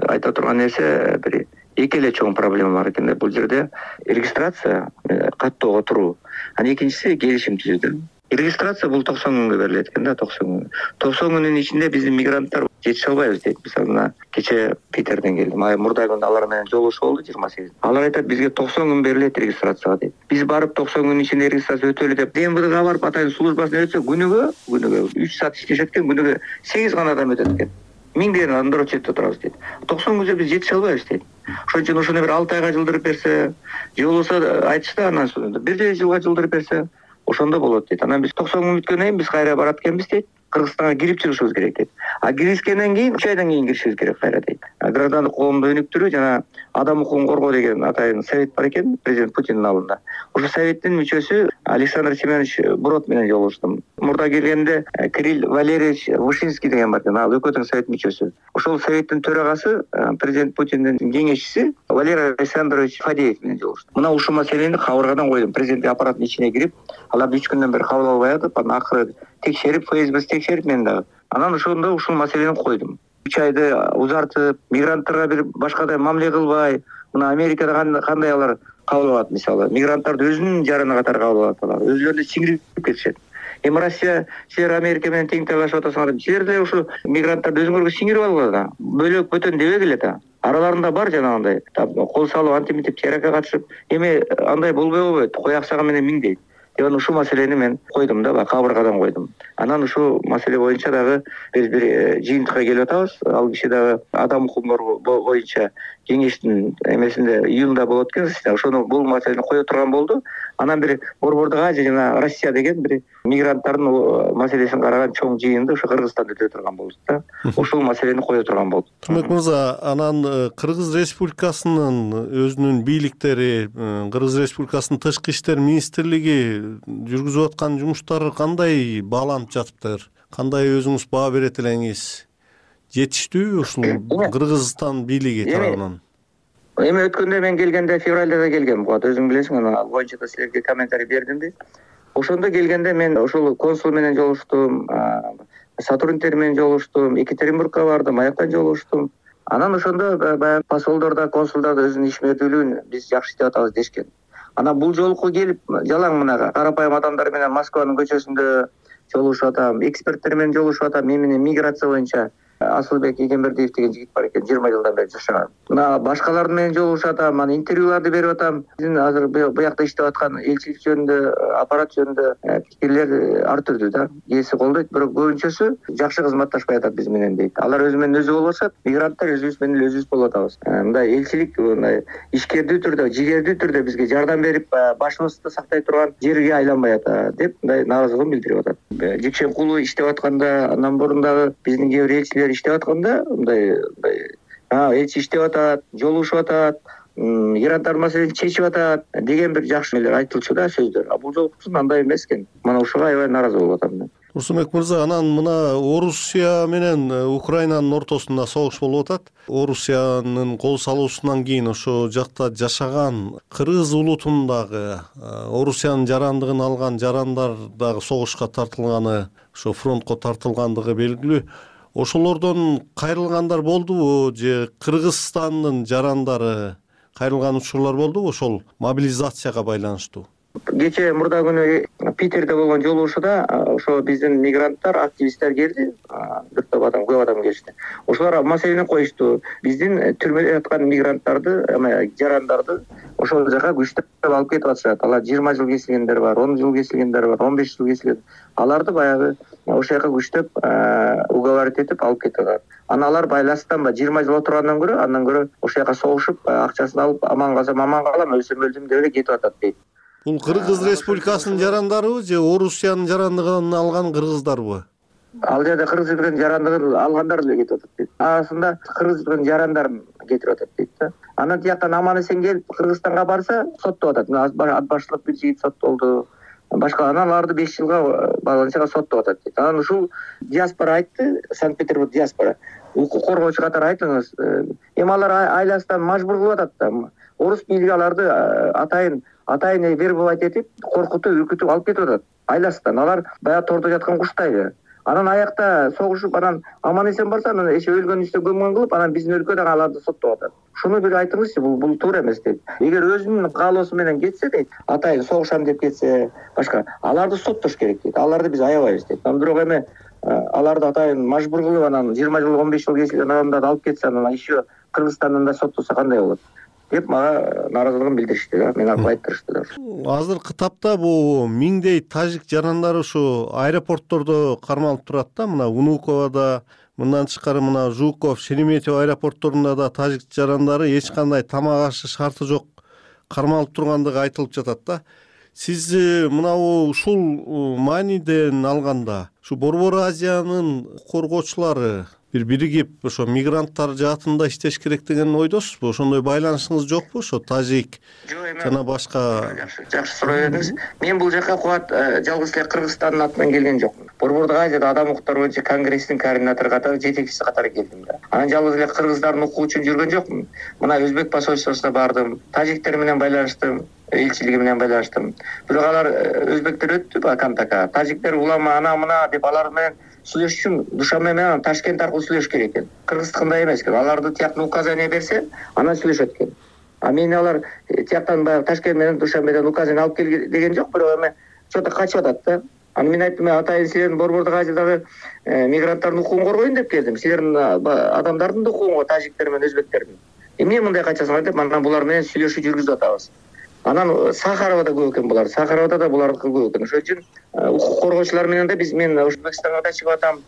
айта турган нерсе бир эки эле чоң проблема бар экен да. Бул жерде регистрация, каттоого туруу. Анан экинчиси келишим түзүүдө. Регистрация бул токсон күнгө берилет экен да, токсон күн. токсон күнүн ичинде биздин мигранттар жетише албайбыз дейт. Мисалы мына кече Питерден келдим. Ай мурда күндө алар менен жолугушуу болду жыйырма сегиз. Алар айтат, бизге токсон күн берилет регистрацияга дейт. Биз барып токсон күн ичинде регистрация өтөлү деп ДМВДга барып атайын службасына өтсө, күнүгө, күнүгө үч саат иштешет экен, күнүгө сегиз гана адам өтөт экен. Миңдеген адамдар очередте турабыз дейт. токсон күнгө биз жетише албайбыз дейт. Ошон үчүн ошону бир алты айга жылдырып берсе, же болбосо айтышты анан бир жылга жылдырып берсе, ошондо болот дейт. Анан биз токсон күн бүткөндөн кийин биз кайра барат экенбиз дейт. Кыргызстанга кирип чыгышыбыз керек дейт. А киришкенден кийин үч айдан кийин киришибиз керек кайра дейт. Граждандык коомду өнүктүрүү жана адам укугун коргоо деген атайын совет бар экен президент Путиндин алдында. Ошо советтин мүчөсү Александр Семенович Брод менен жолугуштум. Мурда келгенде Кирилл Валерьевич Вышинский деген бар экен. Ал өкмөттүн совет мүчөсү. Ошол советтин төрагасы президент Путиндин кеңешчиси Валерий Александрович Фадеев менен жолугуштум. Мына ушул маселени кабыргадан койдум. Президенттик аппараттын ичине кирип, аларды үч күндөн бери кабыл албай атып, анан акыры текшерип, ФСБ текшерип мен дагы. Анан ошондо ушул маселени койдум. үч айды узартып, мигранттарга бир башкадай мамиле кылбай, мына Америкада кандай алар кабыл алат, мисалы, мигранттарды өзүнүн жараны катары кабыл алат алар. Өзүлөрүнө сиңирип кетишет. Эми Россия, силер Америка менен тең талашып атасыңар, силер деле ушу мигранттарды өзүңөргө сиңирип алгыла да. Бөлөк бөтөн дебегиле да. Араларында бар жанагындай, кол салып, антимитип теракка катышып, эми андай болбой болбойт, кой аксагы менен миңдейт. Деп анан ушул маселени мен койдум да, кабыргадан койдум. Анан ушул маселе боюнча дагы биз бир жыйынтыкка келип атабыз. Ал киши дагы адам укугу боюнча кеңештин эмесинде июнда болот экен. Ошону бул маселени кое турган болду. Анан бир Борбордук Азия жана Россия деген бир мигранттардын маселесин караган чоң жыйынды ошо Кыргызстанда өтө турган болду да. Ушул маселени кое турган болду. Турмек мырза, анан Кыргыз Республикасынын өзүнүн бийликтери, Кыргыз Республикасынын тышкы иштер министрлиги жүргүзүп аткан жумуштары кандай бааланып жатыптыр? Кандай өзүңүз баа берет элеңиз? Жетиштүүбү ушул Кыргызстан бийлиги тарабынан? Эми өткөндө мен келгенде февралда да келгем. Буга өзүң билесиң, ал боюнча да силерге комментарий бердимби? Ошондо келгенде мен ошол консул менен жолугуштум, сотрудниктер менен жолугуштум, Екатеринбургка бардым, аяктан жолугуштум. Анан ошондо баягы посолдор да, консулдар да өзүнүн ишмердүүлүгүн биз жакшы иштеп атабыз дешкен. Анан бул жолку келип жалаң мына карапайым адамдар менен Москванын көчөсүндө жолугушуп атам, эксперттер менен жолугушуп атам. Мен менен миграция боюнча Асылбек Эгембердиев деген жигит бар экен, жыйырма жылдан бери жашаган. Мына башкалар менен жолугушуп атам, анан интервьюларды берип атам. Биздин азыр буякта иштеп аткан элчилик жөнүндө, аппарат жөнүндө пикирлер ар түрдүү да. Кээси колдойт, бирок көбүнчөсү жакшы кызматташпай атат биз менен дейт. Алар өзү менен өзү болуп атышат, мигранттар өзүбүз менен өзүбүз болуп атабыз. Мындай элчилик мындай ишкердүү түрдө, жигердүү түрдө бизге жардам берип, башыбызды сактай турган жерге айланбай атат деп мындай нааразылыгын билдирип атат. Жекшенкулу иштеп атканда, андан бурун дагы биздин кээ бир элчилер иштеп атканда мындай мындай элчи иштеп атат, жолугушуп атат, мигранттар маселесин чечип атат деген бир жакшы нелер айтылчу да, сөздөр. А бул жолкусун андай эмес экен. Мына ушуга аябай нааразы болуп атам мен. Турсунбек мырза, анан мына Орусия менен Украинанын ортосунда согуш болуп атат. Орусиянын кол салуусунан кийин ошо жакта жашаган кыргыз улутунун дагы, Орусиянын жарандыгын алган жарандар дагы согушка тартылганы, ошо фронтко тартылгандыгы белгилүү. Ошолордон кайрылгандар болдубу же Кыргызстандын жарандары кайрылган учурлар болдубу ошол мобилизацияга байланыштуу? Кечээ мурда күнү Питерде болгон жолугушууда ошо биздин мигранттар, активисттер келди, бир топ адам, көп адам келишти. Ошолор маселени коюшту. Биздин түрмөдө яткан мигранттарды, жарандарды ошол жака күчтөп алып кетип атышат. Алар жыйырма жыл кесилгендер бар, он жыл кесилгендер бар, он беш жыл кесилген. Аларды баягы ошол жака күчтөп уговорить этип алып кетип атат. Анан алар байланыштан жыйырма жыл отургандан көрө, андан көрө ошол жака согушуп, акчасын алып, аман калсам аман калам, өлсөм өлдүм деп эле кетип атат дейт. Бул Кыргыз Республикасынын жарандарыбы же Орусиянын жарандыгын алган кыргыздарбы? Ал жерде Кыргыздын жарандыгын алгандар эле кетип атат дейт. Арасында Кыргыздын жарандарын кетирип атат дейт да. Анан тияктан аман эсен келип Кыргызстанга барса соттоп атат. Ат башлык бир жигит соттолду. Башка анан аларды беш жылга баланчага соттоп атат дейт. Анан ушул диаспора айтты, Санкт-Петербург диаспора. Укук коргоочу катары айтыңыз. Эми алар айласынан мажбур кылып атат да. Орус бийлиги аларды атайын атайын вербовать этип, коркутуп, үркүтүп алып кетип атат. Айласынан алар баягы тордо жаткан куштайды. Анан аякта согушуп, анан аман эсен барса, анан эше өлгөн үстө көмгөн кылып, анан биздин өлкөдө аларды соттоп атат. Шуну бир айтыңызчы, бул бул туура эмес дейт. Эгер өзүнүн каалоосу менен кетсе дейт, атайын согушам деп кетсе, башка аларды соттош керек дейт. Аларды биз аябайбыз дейт. Анан бирок эми аларды атайын мажбур кылып, анан жыйырма жыл, он беш жыл кесилген адамдарды алып кетсе, анан еще Кыргызстандан да соттоса кандай болот деп мага нааразылыгын билдиришти да, мени алып айттырышты да. Азыркы тапта бул миңдей тажик жарандары ушу аэропорттордо кармалып турат да, мына Унуковада, мындан тышкары мына Жуков, Шереметьево аэропортторунда да тажик жарандары эч кандай тамак ашы шарты жок кармалып тургандыгы айтылып жатат да. сиз мынабу ушул мааниден алганда ушу Борбор Азиянын коргоочулары бир биригип ошо мигранттар жаатында иштеш керек деген ойдосузбу? Ошондой байланышыңыз жокпу? Ошо тажик жана башка. Жакшы суроо бердиңиз. Мен бул жака кубат жалгыз эле Кыргызстандын атынан келген жокмун. Борбордук Азияда адам укуктары боюнча конгресстин координатору катары, жетекчиси катары келдим да. Анан жалгыз эле кыргыздардын укугу үчүн жүргөн жокмун. Мына Өзбек посольствосуна бардым, тажиктер менен байланыштым, элчилиги менен байланыштым. Бирок алар өзбектер өттү ба контактка. Тажиктер улама ана мына деп алар менен сүйлөшүш үчүн Душанбе менен Ташкент аркылуу сүйлөшүш керек экен. Кыргыздыкындай эмес экен. Аларды тияктан указание берсе, анан сүйлөшөт экен. А мени алар тияктан баягы Ташкент менен Душанбеден указание алып кел деген жок, бирок эми что-то качып атат да. Аны мен айттым, атайын силердин Борбордук Азиядагы мигранттардын укугун коргойн деп келдим. Силердин адамдардын да укугун, тажиктер менен өзбектердин. Эмне мындай качасыңар деп, анан булар менен сүйлөшүү жүргүзүп атабыз. Анан Сахаровада көп экен булар. Сахаровада да булардыкы көп экен. Ошон үчүн укук коргоочулар менен да биз мен Өзбекстанга да чыгып атам,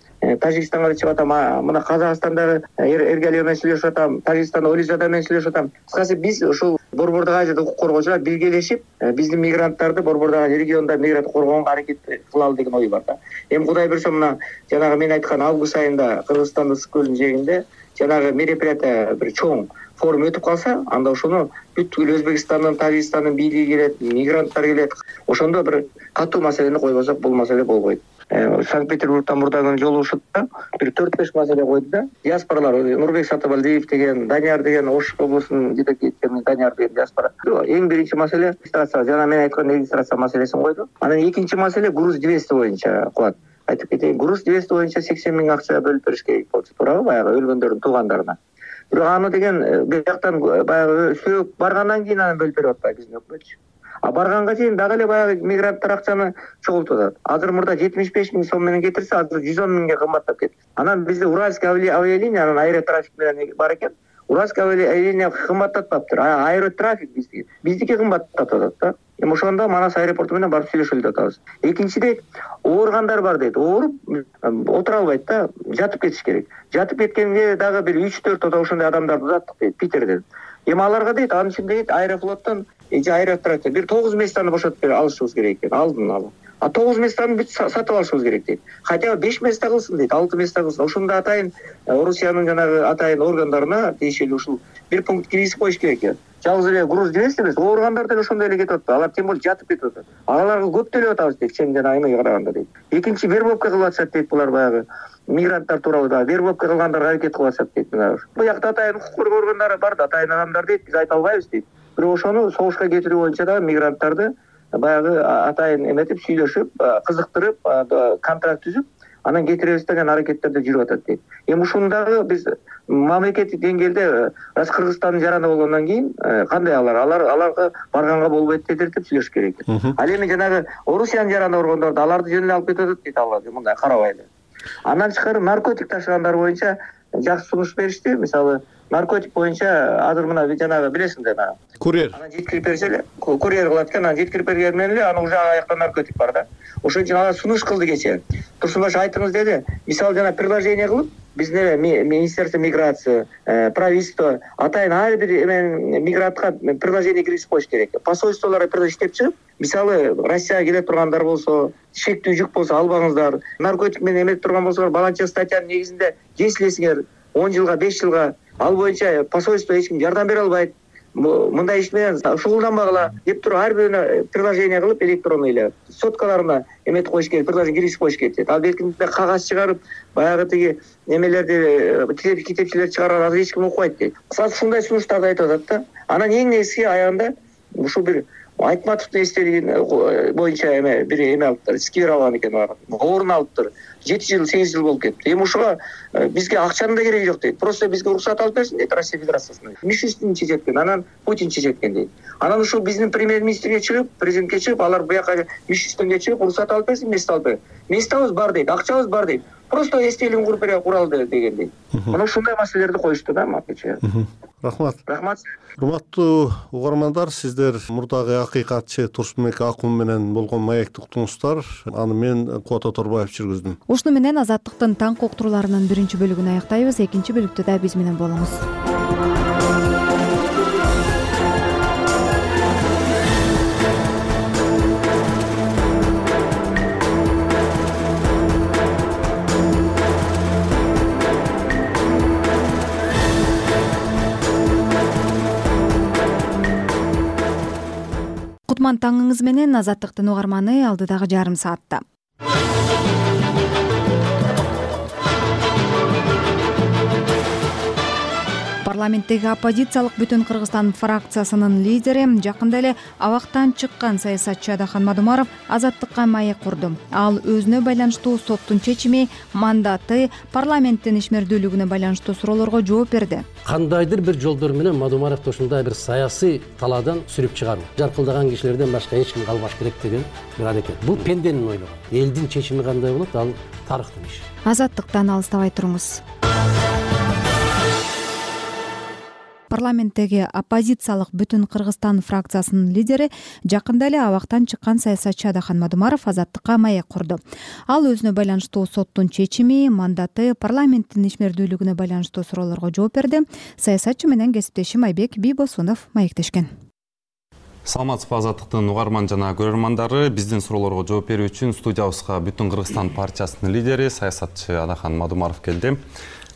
Тажикстанга да чыгып атам, мына Казакстандагы Эргалиев менен сүйлөшүп атам, Тажикстанда Олизада менен сүйлөшүп атам. Кыскасы биз ушул Борбордук Азияда укук коргоочулар биргелешип, биздин мигранттарды Борбордук Азия регионунда мигрант коргоонго аракет кылалы деген ой бар да. Эми Кудай буйрса мына жанагы мен айткан август айында Кыргызстандын Ысык көлүнүн жээгинде жанагы мероприятие бир чоң форум өтүп калса, анда ошону бүткүл Өзбекстандын, Тажикстандын бийлиги келет, мигранттар келет. Ошондо бир катуу маселени койбосок, бул маселе болбойт. Санкт-Петербургтан мурдагы жолугушууда бир төрт беш маселе койду да. Диаспоралар, Нурбек Сатыбалдиев деген, Данияр деген, Ош облусунун жетекчиси Данияр деген диаспора. Эң биринчи маселе регистрация, жана мен айткан регистрация маселесин койду. Анан экинчи маселе груз двести боюнча кылат. Айтып кетейин, груз двести боюнча сексен миң акча бөлүп бериш керек болчу, туурабы, баягы өлгөндөрдүн туугандарына. Бирок аны деген бияктан баягы сөөп баргандан кийин аны бөлүп берип атпайбы биздин өкмөтчү. А барганга чейин дагы эле баягы мигранттар акчаны чогултуп атат. Азыр мурда жетимиш беш миң сом менен кетирсе, азыр жүз он миңге кымбаттап кетти. Анан бизде Уральский авиалиниянын аэротрафик менен бар экен. Уральский авиалиния кымбаттатпаптыр. Аэротрафик биздики биздики кымбаттатып атат да. Эми ошондо Манас аэропорту менен барып сүйлөшөлү деп атабыз. Экинчиден, ооругандар бар дейт. Ооруп отура албайт да, жатып кетиш керек. Жатып кеткенге дагы бир үч төрт ошондой адамдарды узаттык дейт Питерден. Эми аларга дейт, анын үчүн дейт Аэрофлоттон же Аэротрактор бир тогуз местаны бошотуп берип алышыбыз керек экен. Алдын ала. А тогуз местаны бүт сатып алышыбыз керек дейт. Хотя бы беш места кылсын дейт, алты места кылсын. Ошондо атайын Орусиянын жанагы атайын органдарына тиешелүү ушул бир пункт киргизип коюш керек экен. Жалгыз эле груз двести эмес, ооругандар деле ошондой эле кетип атат. Алар тем более жатып кетип атат. Аларга көп төлөп атабыз дейт, чен жана эмеге караганда дейт. Экинчи вербовка кылып атышат дейт булар баягы мигранттар тууралуу да вербовка кылгандарга аракет кылып атышат дейт. Буякта атайын укук коргоо органдары бар да, атайын адамдар дейт, биз айта албайбыз дейт. Бирок ошону согушка кетирүү боюнча да мигранттарды баягы атайын эметип сүйлөшүп, кызыктырып, контракт түзүп, анан кетиребиз деген аракеттерде жүрүп атат дейт. Эми ушундагы биз мамлекеттик деңгээлде раз Кыргызстандын жараны болгондон кийин кандай алар алар аларга барганга болбойт дедиртип сүйлөшүш керек. Ал эми жанагы Орусиянын жараны болгондорду аларды жөн эле алып кетип атат дейт алар, мындай карабай эле. Андан тышкары наркотик ташыгандар боюнча жакшы сунуш беришти. Мисалы, наркотик боюнча азыр мына жанагы билесиңер, мына курьер. Анан жеткирип берсе эле, курьер кылат экен, анан жеткирип берген менен эле анын уже аякта наркотик бар да. Ошон үчүн алар сунуш кылды кечээ. Турсунбаш айтыңыз деди. Мисалы жана предложение кылып, биздин эле Министерство миграция, правительство атайын ар бир эмен мигрантка предложение киргизип коюш керек. Посольстволор иштеп чыгып, мисалы Россияга келе тургандар болсо, шектүү жүк болсо албаңыздар. Наркотик менен эметип турган болсоңор, баланча статьянын негизинде кесилесиңер он жылга, беш жылга. Ал боюнча посольство эч ким жардам бере албайт. Мындай иш менен шугулданбагыла деп туруп ар бирине предложение кылып электронный эле соткаларына эметип коюш керек, предложение киргизип коюш керек. Ал бекинде кагаз чыгарып, баягы тиги немелерди китепчилер чыгарган азыр эч ким окубайт дейт. Кысасы ушундай сунуштарды айтып атат да. Анан эң негизги аягында ушул бир Айтматовдун эстелиги боюнча эме бир эме алыптыр, сквер алган экен бар. Орун алыптыр. жети жыл, сегиз жыл болуп кетти. Эми ушуга бизге акчанын да кереги жок дейт. Просто бизге уруксат алып берсин дейт Россия Федерациясынан. Мишустин чечет экен, анан Путин чечет экен дейт. Анан ушул биздин премьер-министрге чыгып, президентке чыгып, алар буяка Мишустинге чыгып, уруксат алып берсин, место алып берсин. Местабыз бар дейт, акчабыз бар дейт. Просто эстелигин куруп бере куралды деген дейт. Мына ушундай маселелерди коюшту да макече. Рахмат. Рахмат. Урматтуу угармандар, сиздер мурдагы акыйкатчы Турсунбек Акун менен болгон маекти уктуңуздар. Аны мен Кубат Оторбаев жүргүздүм. Ушуну менен Азаттыктын таң уктурууларынын биринчи бөлүгүн аяктайбыз. Экинчи бөлүктө да биз менен болуңуз. кутман таңыңыз менен. Азаттыктын угарманы алдыдагы жарым саатта. Парламенттеги оппозициялык Бүтүн Кыргызстан фракциясынын лидери, жакында эле абактан чыккан саясатчы Адахан Мадумаров Азаттыкка маек курду. Ал өзүнө байланыштуу соттун чечими, мандаты, парламенттин ишмердүүлүгүнө байланыштуу суроолорго жооп берди. Кандайдыр бир жолдор менен Мадумаровду ушундай бир саясий талаадан сүрүп чыгаруу, жаркылдаган кишилерден башка эч ким калбаш керек деген бир аракет. Бул пенденин ойлогу. Элдин чечими кандай болот, ал тарыхтын иши. Азаттыктан алыстабай туруңуз. Парламенттеги оппозициялык Бүтүн Кыргызстан фракциясынын лидери, жакында эле абактан чыккан саясатчы Адахан Мадумаров Азаттыкка маек курду. Ал өзүнө байланыштуу соттун чечими, мандаты, парламенттин ишмердүүлүгүнө байланыштуу суроолорго жооп берди. Саясатчы менен кесиптешим Айбек Бийбосунов маектешкен. Саламатсызбы Азаттыктын угарман жана көрөрмандары. Биздин суроолорго жооп берүү үчүн студиябызга Бүтүн Кыргызстан партиясынын лидери, саясатчы Адахан Мадумаров келди.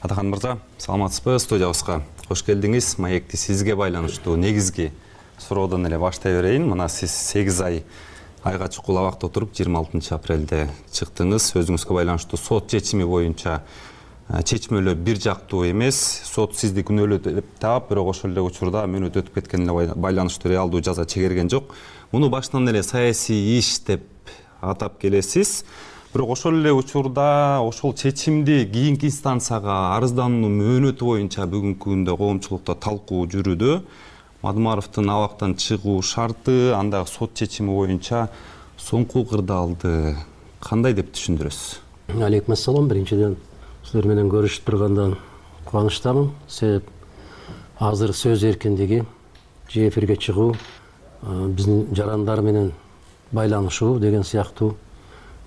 Адахан мырза, саламатсызбы? Студиябызга кош келдиңиз. Маекти сизге байланыштуу негизги суроодон эле баштай берейин. Мына сиз сегиз ай айга чукул абакта отуруп, жыйырма алтынчы апрелде чыктыңыз. Өзүңүзгө байланыштуу сот чечими боюнча чечмөлөө бир жактуу эмес. Сот сизди күнөөлүү деп таап, бирок ошол эле учурда мөөнөт өтүп кеткенине байланыштуу реалдуу жаза чегерген жок. Муну башынан эле саясий иш деп атап келесиз. Бирок ошол эле учурда ошол чечимди кийинки инстанцияга арыздануу мөөнөтү боюнча бүгүнкү күндө коомчулукта талкуу жүрүүдө. Мадумаровдун абактан чыгуу шарты, андагы сот чечими боюнча соңку кырдаалды кандай деп түшүндүрөсүз? Алейкум ассалам. Биринчиден силер менен көрүшүп тургандан кубанычтамын. Себеп азыр сөз эркиндиги, же эфирге чыгуу, биздин жарандар менен байланышуу деген сыяктуу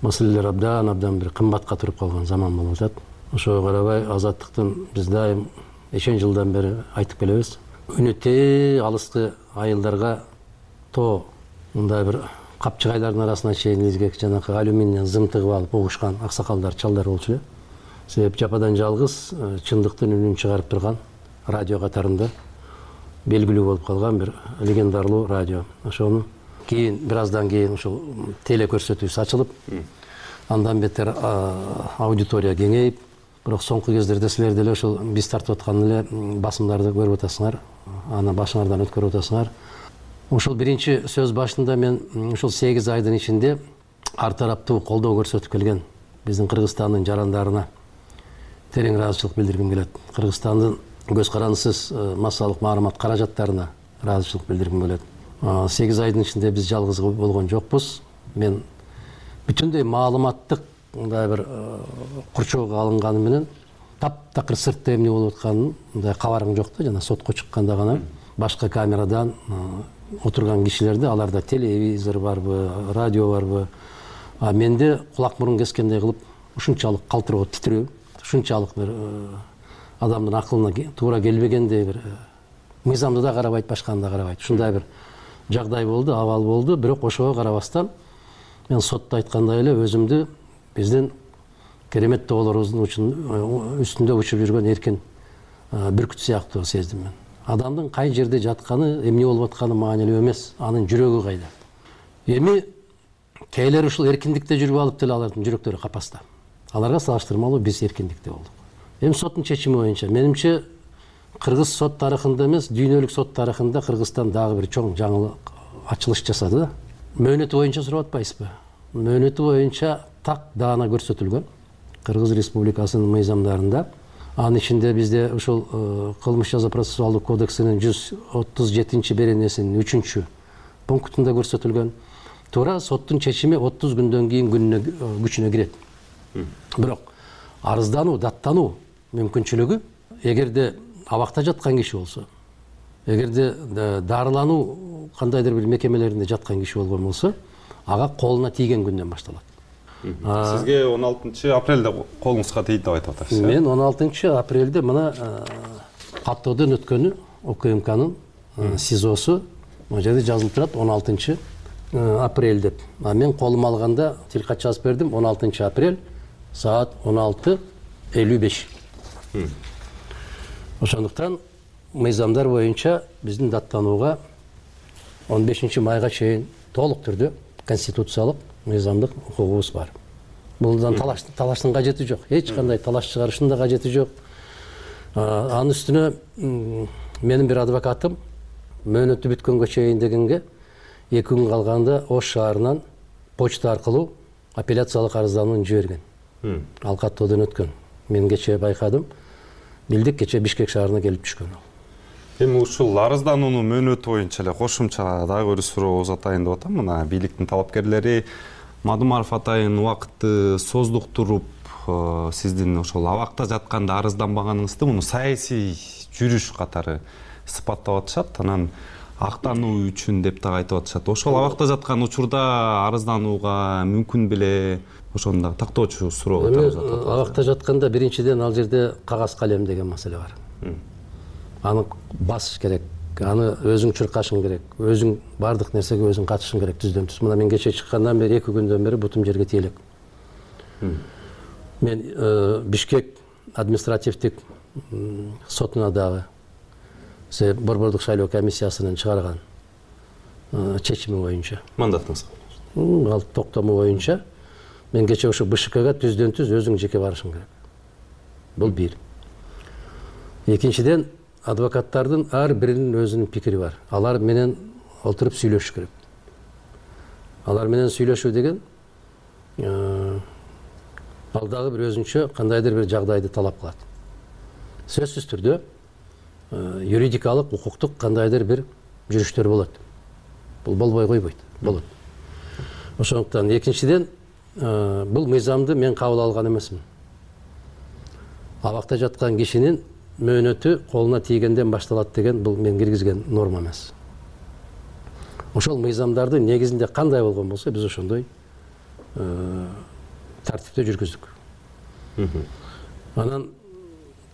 маселелер абдан абдан бир кымбатка туруп калган заман болуп атат. Ошого карабай Азаттыктын биз дайым эчен жылдан бери айтып келебиз. Өнөтө алыскы айылдарга то мындай бир капчыгайлардын арасына чейин изгек жанакы алюминден зым тыгып алып угушкан аксакалдар, чалдар болчу эле. Себеп жападан жалгыз чындыктын үнүн чыгарып турган радио катарында белгилүү болуп калган бир легендарлуу радио. Ошону кийин бир аздан кийин ошол теле көрсөтүүсү ачылып, андан бетер аудитория кеңейип, бирок соңку кездерде силер деле ошол биз тартып аткан эле басымдарды көрүп атасыңар, аны башыңардан өткөрүп атасыңар. Ошол биринчи сөз башында мен ошол сегиз айдын ичинде ар тараптуу колдоо көрсөтүп келген биздин Кыргызстандын жарандарына терең ыраазычылык билдиргим келет. Кыргызстандын көз карандысыз массалык маалымат каражаттарына ыраазычылык билдиргим келет. сегиз айдын ичинде биз жалгыз болгон жокпуз. Мен бүтүндөй маалыматтык мындай бир курчоого алынганы менен таптакыр сыртта эмне болуп атканын мындай кабарым жок да. Жана сотко чыкканда гана башка камерадан отурган кишилерди, аларда телевизор барбы, радио барбы, а менде кулак мурун кескендей кылып ушунчалык калтыроо, титирөө, ушунчалык бир адамдын акылына туура келбегендей бир мыйзамды да карабайт, башканы да карабайт. Ушундай бир жагдай болду, абал болду. Бирок ошого карабастан мен сотто айткандай эле өзүмдү биздин керемет тоолорубуздун үстүндө учуп жүргөн эркин бүркүт сыяктуу сездим мен. Адамдын кай жерде жатканы, эмне болуп атканы маанилүү эмес, анын жүрөгү кайда. Эми кээлер ушул эркиндикте жүрүп алып деле алардын жүрөктөрү капаста. Аларга салыштырмалуу биз эркиндикте болдук. Эми соттун чечими боюнча менимче кыргыз сот тарыхында эмес, дүйнөлүк сот тарыхында Кыргызстан дагы бир чоң жаңылык ачылыш жасады да. Мөөнөтү боюнча сурап атпайсызбы? Мөөнөтү боюнча так даана көрсөтүлгөн Кыргыз Республикасынын мыйзамдарында. Анын ичинде бизде ушул кылмыш жаза процессуалдык кодексинин жүз отуз жетинчи беренесинин үчүнчү пунктунда көрсөтүлгөн. Туура соттун чечими отуз күндөн кийин күнүнө күчүнө кирет. Бирок арыздануу, даттануу мүмкүнчүлүгү эгерде абакта жаткан киши болсо, эгерде дарылануу кандайдыр бир мекемелеринде жаткан киши болгон болсо, ага колуна тийген күндөн башталат. Сизге он алтынчы апрелде колуңузга тийди деп айтып атасыз. Мен он алтынчы апрелде мына каттоодон өткөнү ОКМКнын СИЗОсу, могу жерде жазылып турат он алтынчы апрель деп. А мен колума алганда тилкат жазып бердим он алтынчы апрель саат он алты элүү беш. Ошондуктан мыйзамдар боюнча биздин даттанууга он бешинчи майга чейин толук түрдө конституциялык мыйзамдык укугубуз бар. Булдан талаш талаштын кажети жок. Эч кандай талаш чыгарыштын да кажети жок. Анын үстүнө менин бир адвокатым мөөнөтү бүткөнгө чейин дегенге эки күн калганда Ош шаарынан почта аркылуу апелляциялык арызданууну жиберген. Ал каттоодон өткөн. Мен кечээ байкадым. Билдик кечээ Бишкек шаарына келип түшкөн ал. Эми ушул арыздануунун мөөнөтү боюнча эле кошумча дагы бир суроо узатайын деп атам. Мына бийликтин талапкерлери Мадумаров атайын убакытты создуктуруп, сиздин ошол абакта жатканда арызданбаганыңызды муну саясий жүрүш катары сыпаттап атышат. Анан актануу үчүн деп дагы айтып атышат. Ошол абакта жаткан учурда арызданууга мүмкүн беле? Ошону дагы тактоочу суроо. Абакта жатканда биринчиден ал жерде кагаз калем деген маселе бар. Аны басыш керек, аны өзүң чуркашың керек, өзүң бардык нерсеге өзүң катышың керек түздөн түз. Мына мен кечээ чыккандан бери эки күндөн бери бутум жерге тиелек. Мен Бишкек административдик сотуна дагы Борбордук шайлоо комиссиясынын чыгарган чечими боюнча, мандатыңыз ал токтому боюнча мен кечээ ошо БШКга түздөн түз өзүң жеке барышың керек. Бул бир. Экинчиден, адвокаттардын ар биринин өзүнүн пикири бар. Алар менен олтуруп сүйлөшүш керек. Алар менен сүйлөшүү деген ал дагы бир өзүнчө кандайдыр бир жагдайды талап кылат. Сөзсүз түрдө юридикалык, укуктук кандайдыр бир жүрүштөр болот. Бул болбой койбойт, болот. Ошондуктан экинчиден, бул мыйзамды мен кабыл алган эмесмин. Абакта жаткан кишинин мөөнөтү колуна тийгенден башталат деген бул мен киргизген норма эмес. Ошол мыйзамдарды негизинде кандай болгон болсо, биз ошондой тартипте жүргүздүк. Анан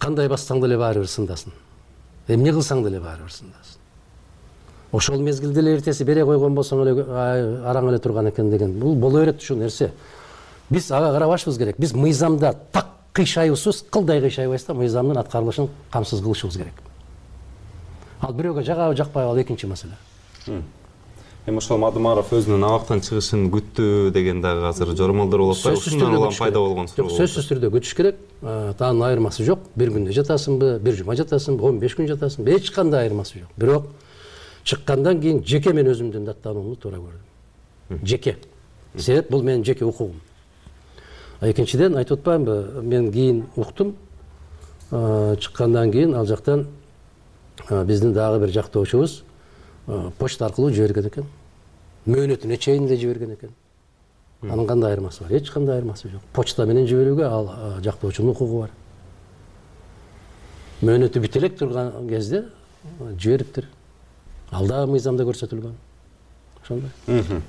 кандай бассаң деле баары бир сындасын. Эмне кылсаң деле баары бир сындасын. Ошол мезгилде эле эртеси бере койгон болсоң эле араң эле турган экен деген. Бул боло берет ушул нерсе. Биз ага карабашыбыз керек. Биз мыйзамда так кыйшайуусуз, кылдай кыйшайбайбыз да, мыйзамдын аткарылышын камсыз кылышыбыз керек. Ал бирөөгө жагабы жакпайбы ал экинчи маселе. Эми ошол Мадумаров өзүнүн абактан чыгышын күттү деген дагы азыр жоромолдор болуп атпайбы? Ушундан улам пайда болгон суроо. Сөзсүз түрдө күтүш керек. Анын айырмасы жок. Бир күндө жатасыңбы, бир жума жатасыңбы, он беш күн жатасыңбы, эч кандай айырмасы жок. Бирок чыккандан кийин жеке мен өзүмдүн даттануумду туура көрдүм. Жеке. Себеп бул менин жеке укугум. Экинчиден айтып атпаймынбы, мен кийин уктум. Чыккандан кийин ал жактан биздин дагы бир жактоочубуз почта аркылуу жиберген экен. Мөөнөтүнө чейин эле жиберген экен. Анын кандай айырмасы бар? Эч кандай айырмасы жок. Почта менен жиберүүгө ал жактоочунун укугу бар. Мөөнөтү бүтө элек турган кезде жибериптир. Ал да мыйзамда көрсөтүлгөн. Ошондой.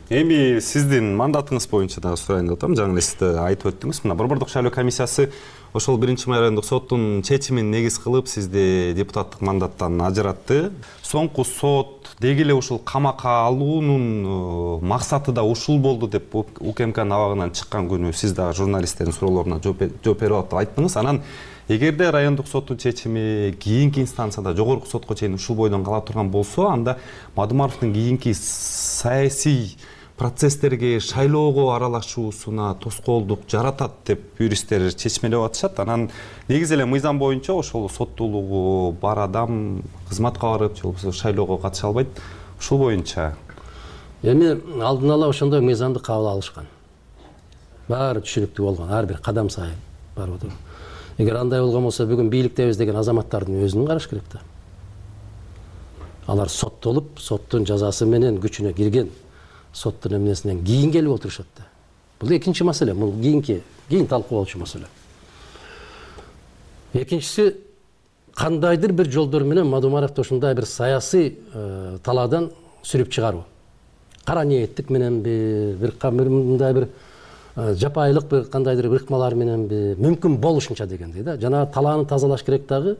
Эми сиздин мандатыңыз боюнча дагы сурайын деп атам. Жаңы эле сиз айтып өттүңүз. Мына Борбордук шайлоо комиссиясы ошол биринчи райондук соттун чечимин негиз кылып сизди депутаттык мандаттан ажыратты. Соңку сот деги эле ушул камакка алуунун максаты да ушул болду деп УКМКнын абагынан чыккан күнү сиз дагы журналисттердин суроолоруна жооп берип атып айттыңыз. Анан эгерде райондук соттун чечими кийинки инстанцияда жогорку сотко чейин ушул бойдон кала турган болсо, анда Мадумаровдун кийинки саясий процесстерге, шайлоого аралашуусуна тоскоолдук жаратат деп юристтер чечмелеп атышат. Анан негизи эле мыйзам боюнча ошол соттуулугу бар адам кызматка барып, же болбосо шайлоого катыша албайт. Ушул боюнча эми алдын ала ошондой мыйзамды кабыл алышкан. Баары түшүнүктүү болгон, ар бир кадам сайын барып отуруп. Эгер андай болгон болсо, бүгүн бийликтебиз деген азаматтардын өзүнүн караш керек да. Алар соттолуп, соттун жазасы менен күчүнө кирген соттун эмнесинен кийин келип отурушат да. Бул экинчи маселе, бул кийинки, кийин талкуулоочу маселе. Экинчиси, кандайдыр бир жолдор менен Мадумаровду ушундай бир саясий талаадан сүрүп чыгаруу. Кара ниеттик мененби, бир мындай бир жапайылык бир кандайдыр бир ыкмалар мененби, мүмкүн болушунча дегендей да. Жана талааны тазалаш керек дагы,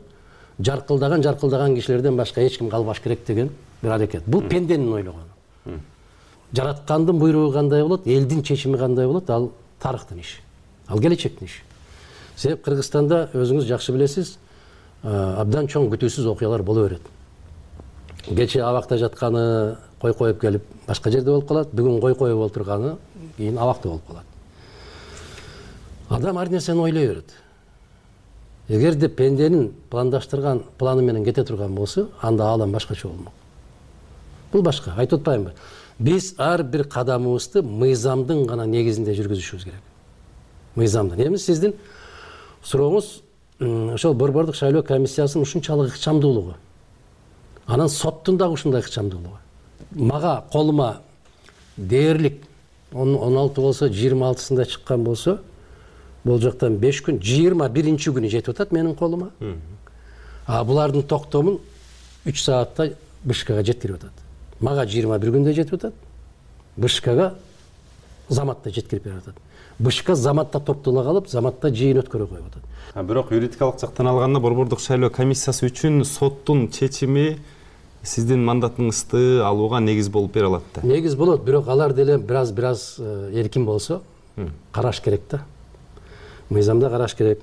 жаркылдаган жаркылдаган кишилерден башка эч ким калбаш керек деген бир аракет. Бул пенденин ойлогону. Жараткандын буйругу кандай болот, элдин чечими кандай болот, ал тарыхтын иши. Ал келечектин иши. Себеп Кыргызстанда өзүңүз жакшы билесиз, абдан чоң күтүүсүз окуялар боло берет. Кечээ абакта жатканы кой коюп келип башка жерде болуп калат, бүгүн кой коюп отурганы кийин абакта болуп калат. Адам ар нерсени ойлой берет. Эгерде пенденин пландаштырган планы менен кете турган болсо, анда аалам башкача болмок. Бул башка, айтып атпаймынбы? Биз ар бир кадамыбызды мыйзамдын гана негизинде жүргүзүшүбүз керек. Мыйзамдын. Эми сиздин сурооңуз ошол Борбордук шайлоо комиссиясынын ушунчалык ыкчамдуулугу. Анан соттун дагы ушундай ыкчамдуулугу. Мага колума дээрлик он алты болсо, жыйырма алтысында чыккан болсо, бул жактан беш күн, жыйырма биринчи күнү жетип атат менин колума. А булардын токтомун үч саатта Бышкекке жеткирип атат. Мага жыйырма бир күндө жетип атат. Бышкекке заматта жеткирип берип атат. Бышка заматта топтола калып, заматта жыйын өткөрө коюп атат. Бирок юридикалык жактан алганда Борбордук шайлоо комиссиясы үчүн соттун чечими сиздин мандатыңызды алууга негиз болуп бере алат да. Негиз болот, бирок алар деле бираз бираз эркин болсо, караш керек да. Мыйзамда караш керек.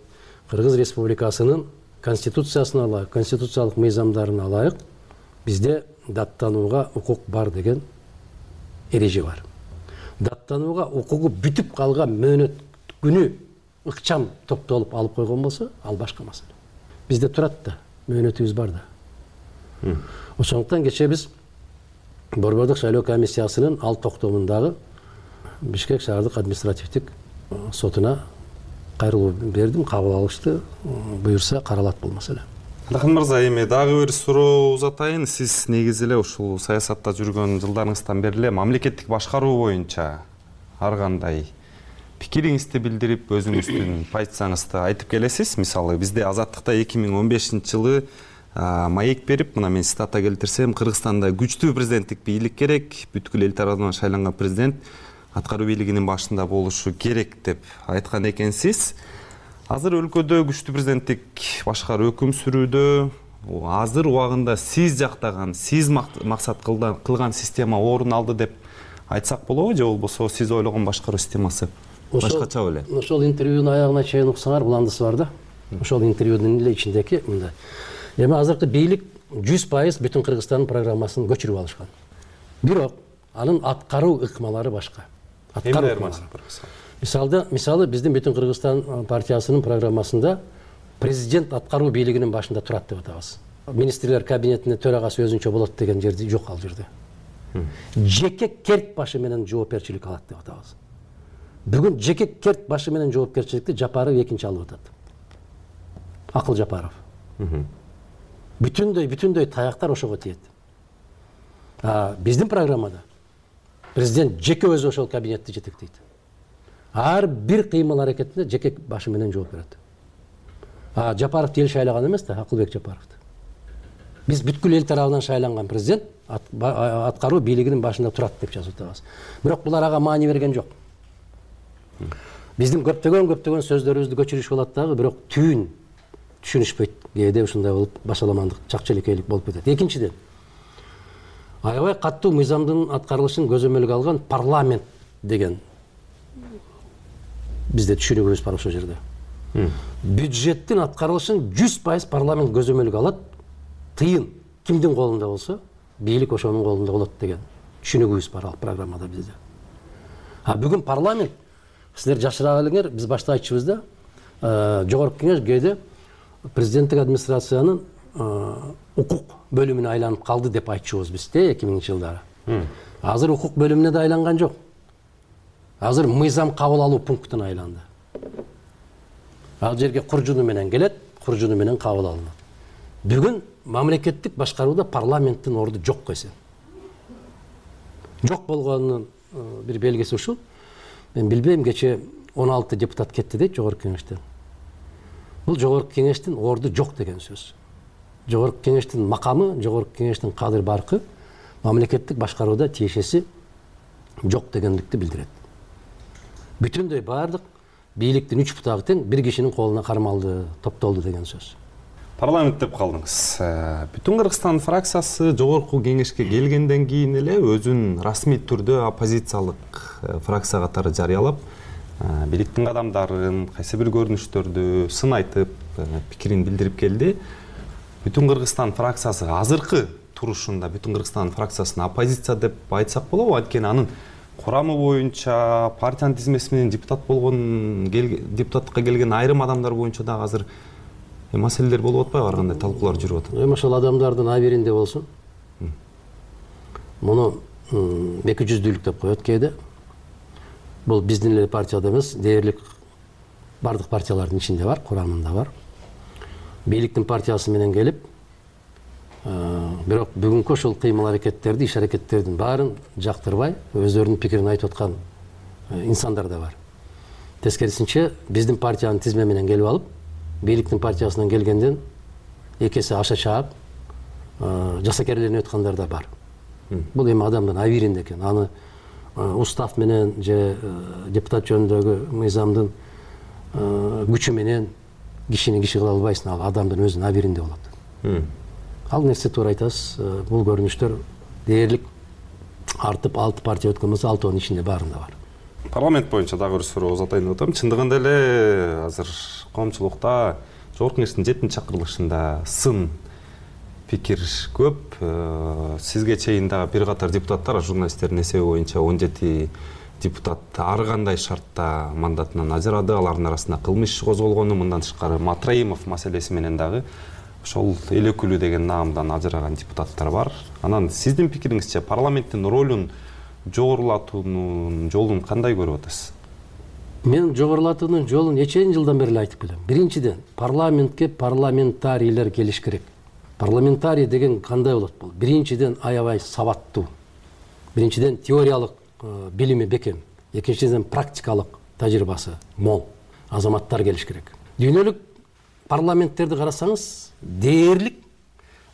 Кыргыз Республикасынын конституциясына ылайык, конституциялык мыйзамдарына ылайык бизде даттанууга укук бар деген эреже бар. Даттанууга укугу бүтүп калган мөөнөт күнү ыкчам топтолуп алып койгон болсо, ал башка маселе. Бизде турат да, мөөнөтүбүз бар да. Ошондуктан кечээ биз Борбордук шайлоо комиссиясынын ал токтомундагы Бишкек шаардык административдик сотуна кайрылуу бердим, кабыл алышты. Буюрса каралат бул маселе. Адахан мырза, эми дагы бир суроо узатайын. Сиз негизи эле ушул саясатта жүргөн жылдарыңыздан бери эле мамлекеттик башкаруу боюнча ар кандай пикириңизди билдирип, өзүңүздүн позицияңызды айтып келесиз. Мисалы, бизде Азаттыкта эки миң он бешинчи жылы маек берип, мына мен цитата келтирсем, Кыргызстанда күчтүү президенттик бийлик керек, бүткүл эл тарабынан шайланган президент аткаруу бийлигинин башында болушу керек деп айткан экенсиз. Азыр өлкөдө күчтүү президенттик башкар өкүм сүрүүдө, азыр убагында сиз жактаган, сиз максат кылган система орун алды деп айтсак болобу, же болбосо сиз ойлогон башкаруу системасы башкача беле? Ошол интервьюнун аягына чейин уксаңар, буландысы бар да. Ошол интервьюнун эле ичиндеги мындай. Эми азыркы бийлик жүз пайыз бүтүн Кыргызстандын программасын көчүрүп алышкан. Бирок анын аткаруу ыкмалары башка. Аткаруу ыкмалары. Мисалда, мисалы биздин бүтүн Кыргызстан партиясынын программасында президент аткаруу бийлигинин башында турат деп атабыз. Министрлер кабинетинин төрагасы өзүнчө болот деген жерде жок ал жерде. Жеке керт башы менен жоопкерчилик алат деп атабыз. Бүгүн жеке керт башы менен жоопкерчиликти Жапаров экинчи алып атат. Акыл Жапаров. Бүтүндөй бүтүндөй таяктар ошого тиет. А биздин программада президент жеке өзү ошол кабинетти жетектейт. Ар бир кыймыл аракетине жеке башы менен жооп берет. А Жапаровду эл шайлаган эмес да, Акылбек Жапаровду. Биз бүткүл эл тарабынан шайланган президент аткаруу бийлигинин башында турат деп жазып атабыз. Бирок булар ага маани берген жок. Биздин көптөгөн көптөгөн сөздөрүбүздү көчүрүш болот дагы, бирок түйүн түшүнүшпөйт. Кээде ушундай болуп, башаламандык, чакчеликейлик болуп кетет. Экинчиден, аябай каттуу мыйзамдын аткарылышын көзөмөлгө алган парламент деген бизде түшүнүгүбүз бар ошол жерде. Бюджеттин аткарылышын жүз пайыз парламент көзөмөлгө алат. Тыйын кимдин колунда болсо, бийлик ошонун колунда болот деген түшүнүгүбүз бар ал программада бизде. А бүгүн парламент, силер жашыра элеңер, биз башта айтчыбыз да, жогорку кеңеш кээде президенттик администрациянын укук бөлүмүнө айланып калды деп айтчубуз биз да эки миңинчи жылдары. Азыр укук бөлүмүнө да айланган жок. Азыр мыйзам кабыл алуу пунктуна айланды. Ал жерге куржуну менен келет, куржуну менен кабыл алынат. Бүгүн мамлекеттик башкарууда парламенттин орду жок койсо. Жок болгонунун бир белгиси ушул. Мен билбейм, кече он алты депутат кетти дейт жогорку кеңештен. Бул жогорку кеңештин орду жок деген сөз. Жогорку кеңештин макамы, жогорку кеңештин кадыр баркы мамлекеттик башкарууда тиешеси жок дегендикти билдирет. Бүтүндөй баардык бийликтин үч бутагы тең бир кишинин колуна кармалды, топтолду деген сөз. Парламент деп калдыңыз. Бүтүн Кыргызстан фракциясы жогорку кеңешке келгенден кийин эле өзүн расмий түрдө оппозициялык фракция катары жарыялап, бийликтин кадамдарын, кайсы бир көрүнүштөрдү сын айтып, пикирин билдирип келди. Бүтүн Кыргызстан фракциясы азыркы турушунда бүтүн Кыргызстан фракциясына оппозиция деп айтсак болобу? Анткени анын курамы боюнча партиянын тизмеси менен депутат болгон депутатка келген айрым адамдар боюнча дагы азыр маселелер болуп атпайбы? Ар кандай талкуулар жүрүп атат. Эми ошол адамдардын абийиринде болсун. Муну эки жүздүүлүк деп коет кээде. Бул биздин эле партияда эмес, дээрлик бардык партиялардын ичинде бар, курамында бар. Бийликтин партиясы менен келип, бирок бүгүнкү ошол кыймыл аракеттерди, иш аракеттердин баарын жактырбай, өздөрүнүн пикирин айтып аткан инсандар да бар. Тескерисинче, биздин партиянын тизме менен келип алып, бийликтин партиясынан келгенден эки эсе аша чаап, жасакерленип аткандар да бар. Бул эми адамдын абийиринде экен. Аны устав менен же депутат жөнүндөгү мыйзамдын күчү менен кишини киши кыла албайсың, ал адамдын өзүнүн абийиринде болот. Ал нерсе туура айтасыз, бул көрүнүштөр дээрлик артып алты партия өткөн болсо, алтыынын ичинде баарында бар. Парламент боюнча дагы бир суроо узатайын деп атам. Чындыгында эле азыр коомчулукта Жогорку Кеңештин жетинчи чакырылышында сын пикир көп. Сизге чейин дагы бир катар депутаттар, журналисттердин эсеби боюнча он жети депутат ар кандай шартта мандатынан ажырады. Алардын арасында кылмыш иши козголгону, мындан тышкары Матраимов маселеси менен дагы ошол эл өкүлү деген наамдан ажыраган депутаттар бар. Анан сиздин пикириңизче парламенттин ролун жогорулатуунун жолун кандай көрүп атасыз? Мен жогорулатуунун жолун нечен жылдан бери айтып келем. Биринчиден, парламентке парламентарийлер келиш керек. Парламентарий деген кандай болот бул? Биринчиден, аябай сабаттуу. Биринчиден, теориялык билими бекем. Экинчиден, практикалык тажрыйбасы мол азаматтар келиш керек. Дүйнөлүк парламенттерди карасаңыз, дээрлик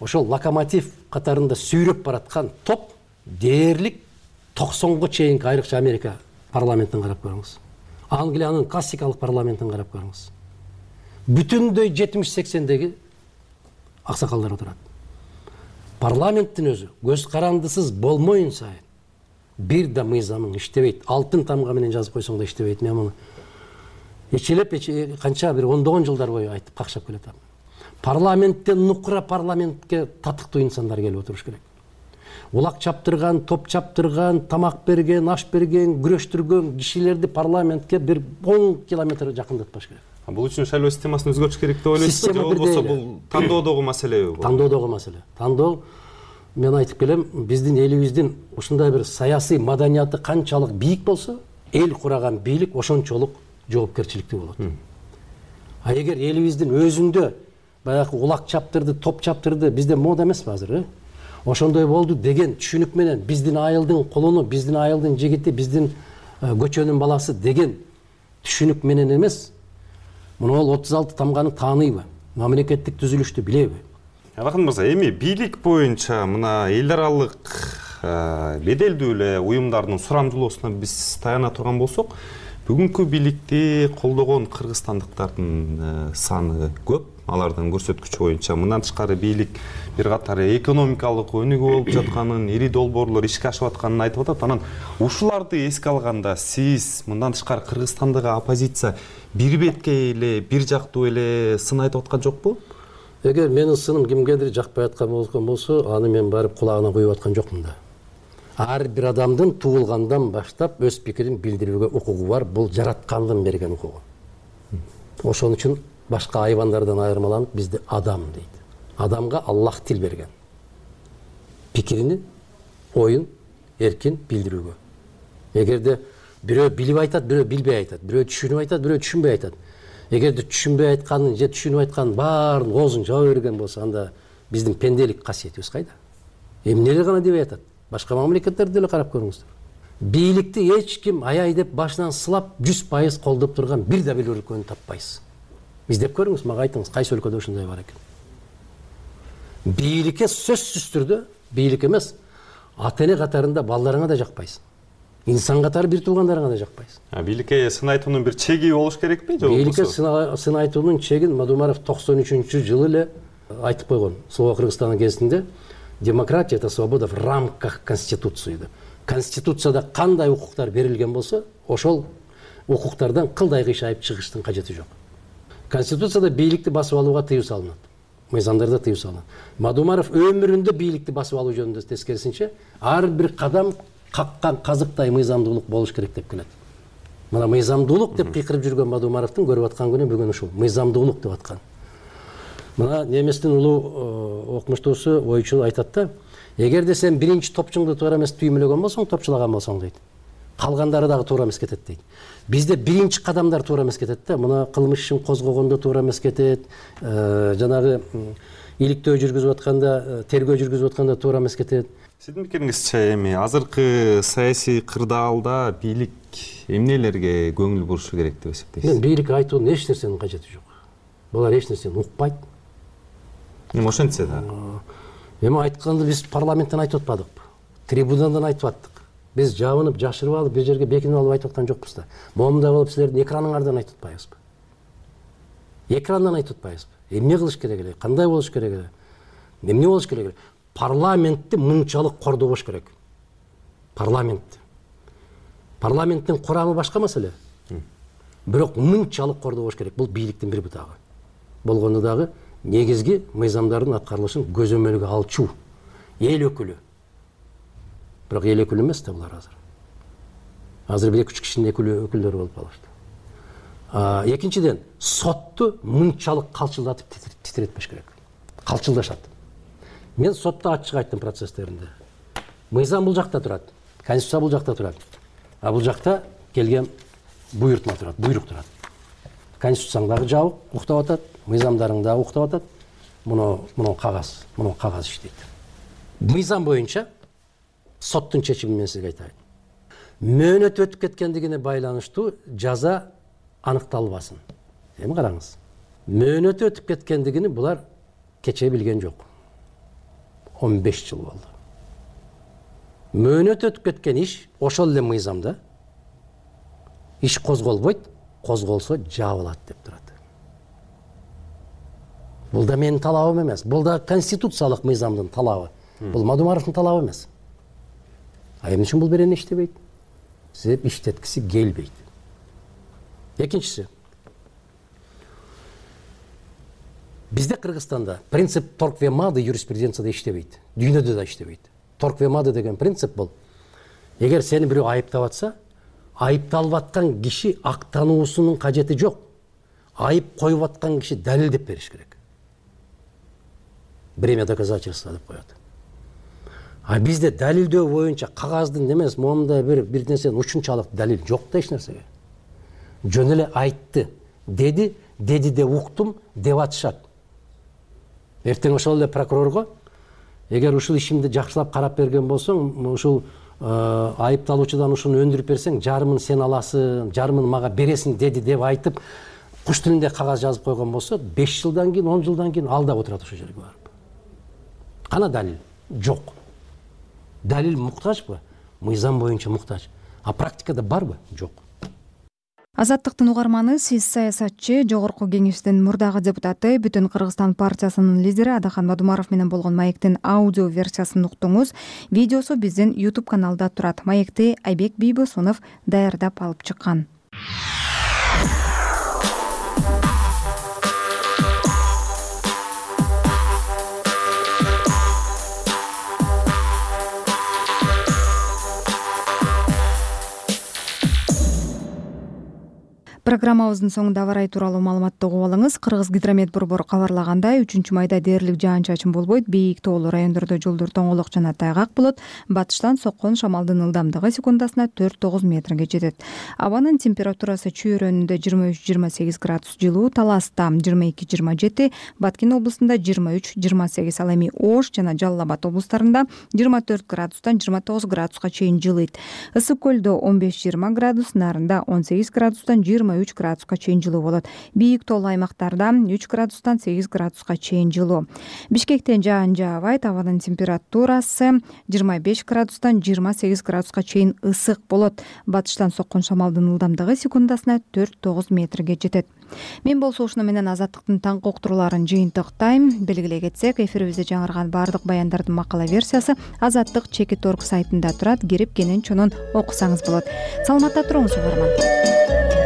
ошол локомотив катарында сүйрөп бараткан топ дээрлик токсонго чейинки, айрыкча Америка парламентин карап көрүңүз. Англиянын классикалык парламентин карап көрүңүз. Бүтүндөй жетимиш сексендеги аксакалдар отурат. Парламенттин өзү көз карандысыз болмоюн сайын бир да мыйзамың иштебейт. Алтын тамга менен жазып койсоң да иштебейт. Мен муну эчелеп канча бир ондогон жылдар бою айтып какшап келатам. Парламенттен нукура парламентке татыктуу инсандар келип отуруш керек. Улак чаптырган, топ чаптырган, тамак берген, аш берген, күрөштүргөн кишилерди парламентке бир он километр жакындатпаш керек. Бул үчүн шайлоо системасын өзгөртүш керек деп ойлойсузбу? Же болбосо бул тандоодогу маселеби? Тандоодогу маселе. Тандоо, мен айтып келем, биздин элибиздин ушундай бир саясий маданияты канчалык бийик болсо, эл кураган бийлик ошончолук жоопкерчиликтүү болот. А эгер элибиздин өзүндө баягы улак чаптырды, топ чаптырды, бизде мода эмеспи азыр, ошондой болду деген түшүнүк менен биздин айылдын кулуну, биздин айылдын жигити, биздин көчөнүн баласы деген түшүнүк менен эмес, муну ол отуз алты тамганы тааныйбы, мамлекеттик түзүлүштү билеби? Алакан мырза, эми бийлик боюнча мына эл аралык беделдүү эле уюмдардын сурамжылоосуна биз таяна турган болсок, бүгүнкү бийликти колдогон кыргызстандыктардын саны көп. Алардын көрсөткүчү боюнча мындан тышкары бийлик бир катар экономикалык өнүгүү болуп жатканын, ири долбоорлор ишке ашып атканын айтып атат. Анан ушуларды эске алганда сиз мындан тышкары Кыргызстандагы оппозиция бир беткей эле, бир жактуу эле сын айтып аткан жокпу? Эгер менин сыным кимгедир жакпай аткан болгон болсо, аны мен барып кулагына куюп аткан жокмун да. Ар бир адамдын туулгандан баштап өз пикирин билдирүүгө укугу бар. Бул жараткандын берген укугу. Ошон үчүн башка айвандардан айырмаланып бизде адам дейт. Адамга Аллах тил берген. Пикирини, оюн эркин билдирүүгө. Эгерде бирөө билип айтат, бирөө билбей айтат, бирөө түшүнүп айтат, бирөө түшүнбөй айтат. Эгерде түшүнбөй айтканын же түшүнүп айтканын баарын оозун жаба берген болсо, анда биздин пенделик касиетибиз кайда? Эмнелер гана дебей атат? Башка мамлекеттерди деле карап көрүңүздөр. Бийликти эч ким аяй деп башынан сылап жүз пайыз колдоп турган бир да бир өлкөнү таппайсыз. Издеп көрүңүз, мага айтыңыз, кайсы өлкөдө ушундай бар экен? Бийликке сөзсүз түрдө, бийлик эмес, ата-эне катарында балдарыңа да жакпайсың. Инсан катары бир туугандарыңа да жакпайсың. А бийликке сын айтуунун бир чеги болуш керекпи же? Бийликке сын айтуунун чегин Мадумаров токсон үчүнчү жылы эле айтып койгон. Слово Кыргызстандын кезинде демократия — это свобода в рамках Конституции. Конституцияда кандай укуктар берилген болсо, ошол укуктардан кылдай кыйшайып чыгыштын кажети жок. Конституцияда бийликти басып алууга тыюу салынат. мыйзамдарда тыюу салынат. Мадумаров өмүрүндө бийликти басып алуу жөнүндө тескерисинче ар бир кадам каккан казыктай мыйзамдуулук болуш керек деп келет. Мына мыйзамдуулук деп кыйкырып жүргөн Мадумаровдун көрүп аткан күнү бүгүн ушул мыйзамдуулук деп аткан. Мына неместин улуу окумуштуусу ойчу айтат да, эгерде сен биринчи топчуңду туура эмес түймөлөгөн болсоң, топчулаган болсоң дейт. Калгандары дагы туура эмес кетет дейт. Бизде биринчи кадамдар туура эмес кетет да. Мына кылмыш ишин козгогондо туура эмес кетет. Жанагы иликтөө жүргүзүп атканда, тергөө жүргүзүп атканда туура эмес кетет. Сиздин пикириңизче эми азыркы саясий кырдаалда бийлик эмнелерге көңүл бурушу керек деп эсептейсиз? Мен бийлик айтуунун эч нерсенин кажети жок. Булар эч нерсени укпайт. Эми ошентсе да. Эми айтканды биз парламенттен айтып атпадыкпы? Трибунадан айтып аттык. Биз жабынып, жашырып алып, бир жерге бекинип алып айтып аткан жокпуз да. Момундай болуп силердин экраныңардан айтып атпайбызбы? Экрандан айтып атпайбызбы? Эмне кылыш керек эле? Кандай болуш керек эле? Эмне болуш керек эле? Парламентти мынчалык кордобош керек. Парламентти. Парламенттин курамы башка маселе. Бирок мынчалык кордобош керек. Бул бийликтин бир бутагы. Болгондо дагы негизги мыйзамдардын аткарылышын көзөмөлгө алчу эл өкүлү. Бирок эл өкүлү эмес да булар азыр. Азыр бир эки үч кишинин өкүлдөрү болуп калышты. Экинчиден, сотту мынчалык калчылдатып титиретпеш керек. Калчылдашат. Мен сотто ачык айттым процесстеринде. Мыйзам бул жакта турат, конституция бул жакта турат. А бул жакта келген буйртма турат, буйрук турат. Конституцияң дагы жабык, уктап атат, мыйзамдарың дагы уктап атат. Муну муну кагаз, муну кагаз иштейт. Мыйзам боюнча соттун чечими менен сизге айтайын. Мөөнөт өтүп кеткендигине байланыштуу жаза аныкталбасын. Эми караңыз. Мөөнөт өтүп кеткендигини булар кече билген жок. он беш жыл болду. Мөөнөт өтүп кеткен иш ошол эле мыйзамда иш козголбойт, козголсо жабылат деп турат. Бул да менин талабым эмес. Бул да конституциялык мыйзамдын талабы. Бул Мадумаровдун талабы эмес. А эмне үчүн бул берени иштебейт? Себеп иштеткиси келбейт. Экинчиси. Бизде Кыргызстанда принцип торквемады юриспруденцияда иштебейт. Дүйнөдө да иштебейт. Торквемады деген принцип бул. Эгер сени бирөө айыптап атса, айыпталып аткан киши актануусунун кажети жок. Айып коюп аткан киши далилдеп бериш керек. Бремя доказательства деп коет. А бизде далилдөө боюнча кагаздын эмес, момундай бир бир нерсенин учунчалык далил жок да эч нерсеге. Жөн эле айтты, деди, деди деп уктум деп атышат. Эртең ошол эле прокурорго эгер ушул ишимди жакшылап карап берген болсоң, ушул айыпталуучудан ушуну өндүрүп берсең, жарымын сен аласың, жарымын мага бересиң деди деп айтып, куш тилинде кагаз жазып койгон болсо, беш жылдан кийин, он жылдан кийин ал да отурат ошол жерге барып. Кана далил? Жок. Далил муктажбы? Мыйзам боюнча муктаж. А практикада барбы? Жок. Азаттыктын угарманы, сиз саясатчы, жогорку кеңештин мурдагы депутаты, Бүтүн Кыргызстан партиясынын лидери Адахан Мадумаров менен болгон маектин аудио версиясын уктуңуз. Видеосу биздин YouTube каналда турат. Маекти Айбек Бийбосунов даярдап алып чыккан. Программабыздын соңунда аба ырайы тууралуу маалыматты угуп алыңыз. Кыргызгидромет борбору кабарлагандай, үчүнчү майда дээрлик жаан-чачын болбойт. Бийик тоолуу райондордо жолдор тоңолок жана тайгак болот. Батыштан соккон шамалдын ылдамдыгы секундасына төрт тогуз метрге жетет. Абанын температурасы чүйөрөнүндө жыйырма үч жыйырма сегиз градус жылуу, Таласта жыйырма эки жыйырма жети, Баткен облусунда жыйырма үч жыйырма сегиз, ал эми Ош жана Жалал Абад облустарында жыйырма төрт градустан жыйырма тогуз градуска чейин жылыйт. Ысык көлдө он беш жыйырма градус, Нарында он сегиз градустан жыйырма үч градуска чейин жылуу болот. Бийик тоолуу аймактарда үч градустан сегиз градуска чейин жылуу. Бишкектен жаан жаабайт, абанын температурасы жыйырма беш градустан жыйырма сегиз градуска чейин ысык болот. Батыштан соккон шамалдын ылдамдыгы секундасына төрт тогуз метрге жетет. Мен болсо ушуну менен Азаттыктын таңкы уктурууларын жыйынтыктайм. Белгилей кетсек, эфирибизде жаңырган баардык баяндардын макала версиясы Азаттык Чекит орг сайтында турат. Кирип кенен чонун окусаңыз болот. Саламатта туруңуз угарман.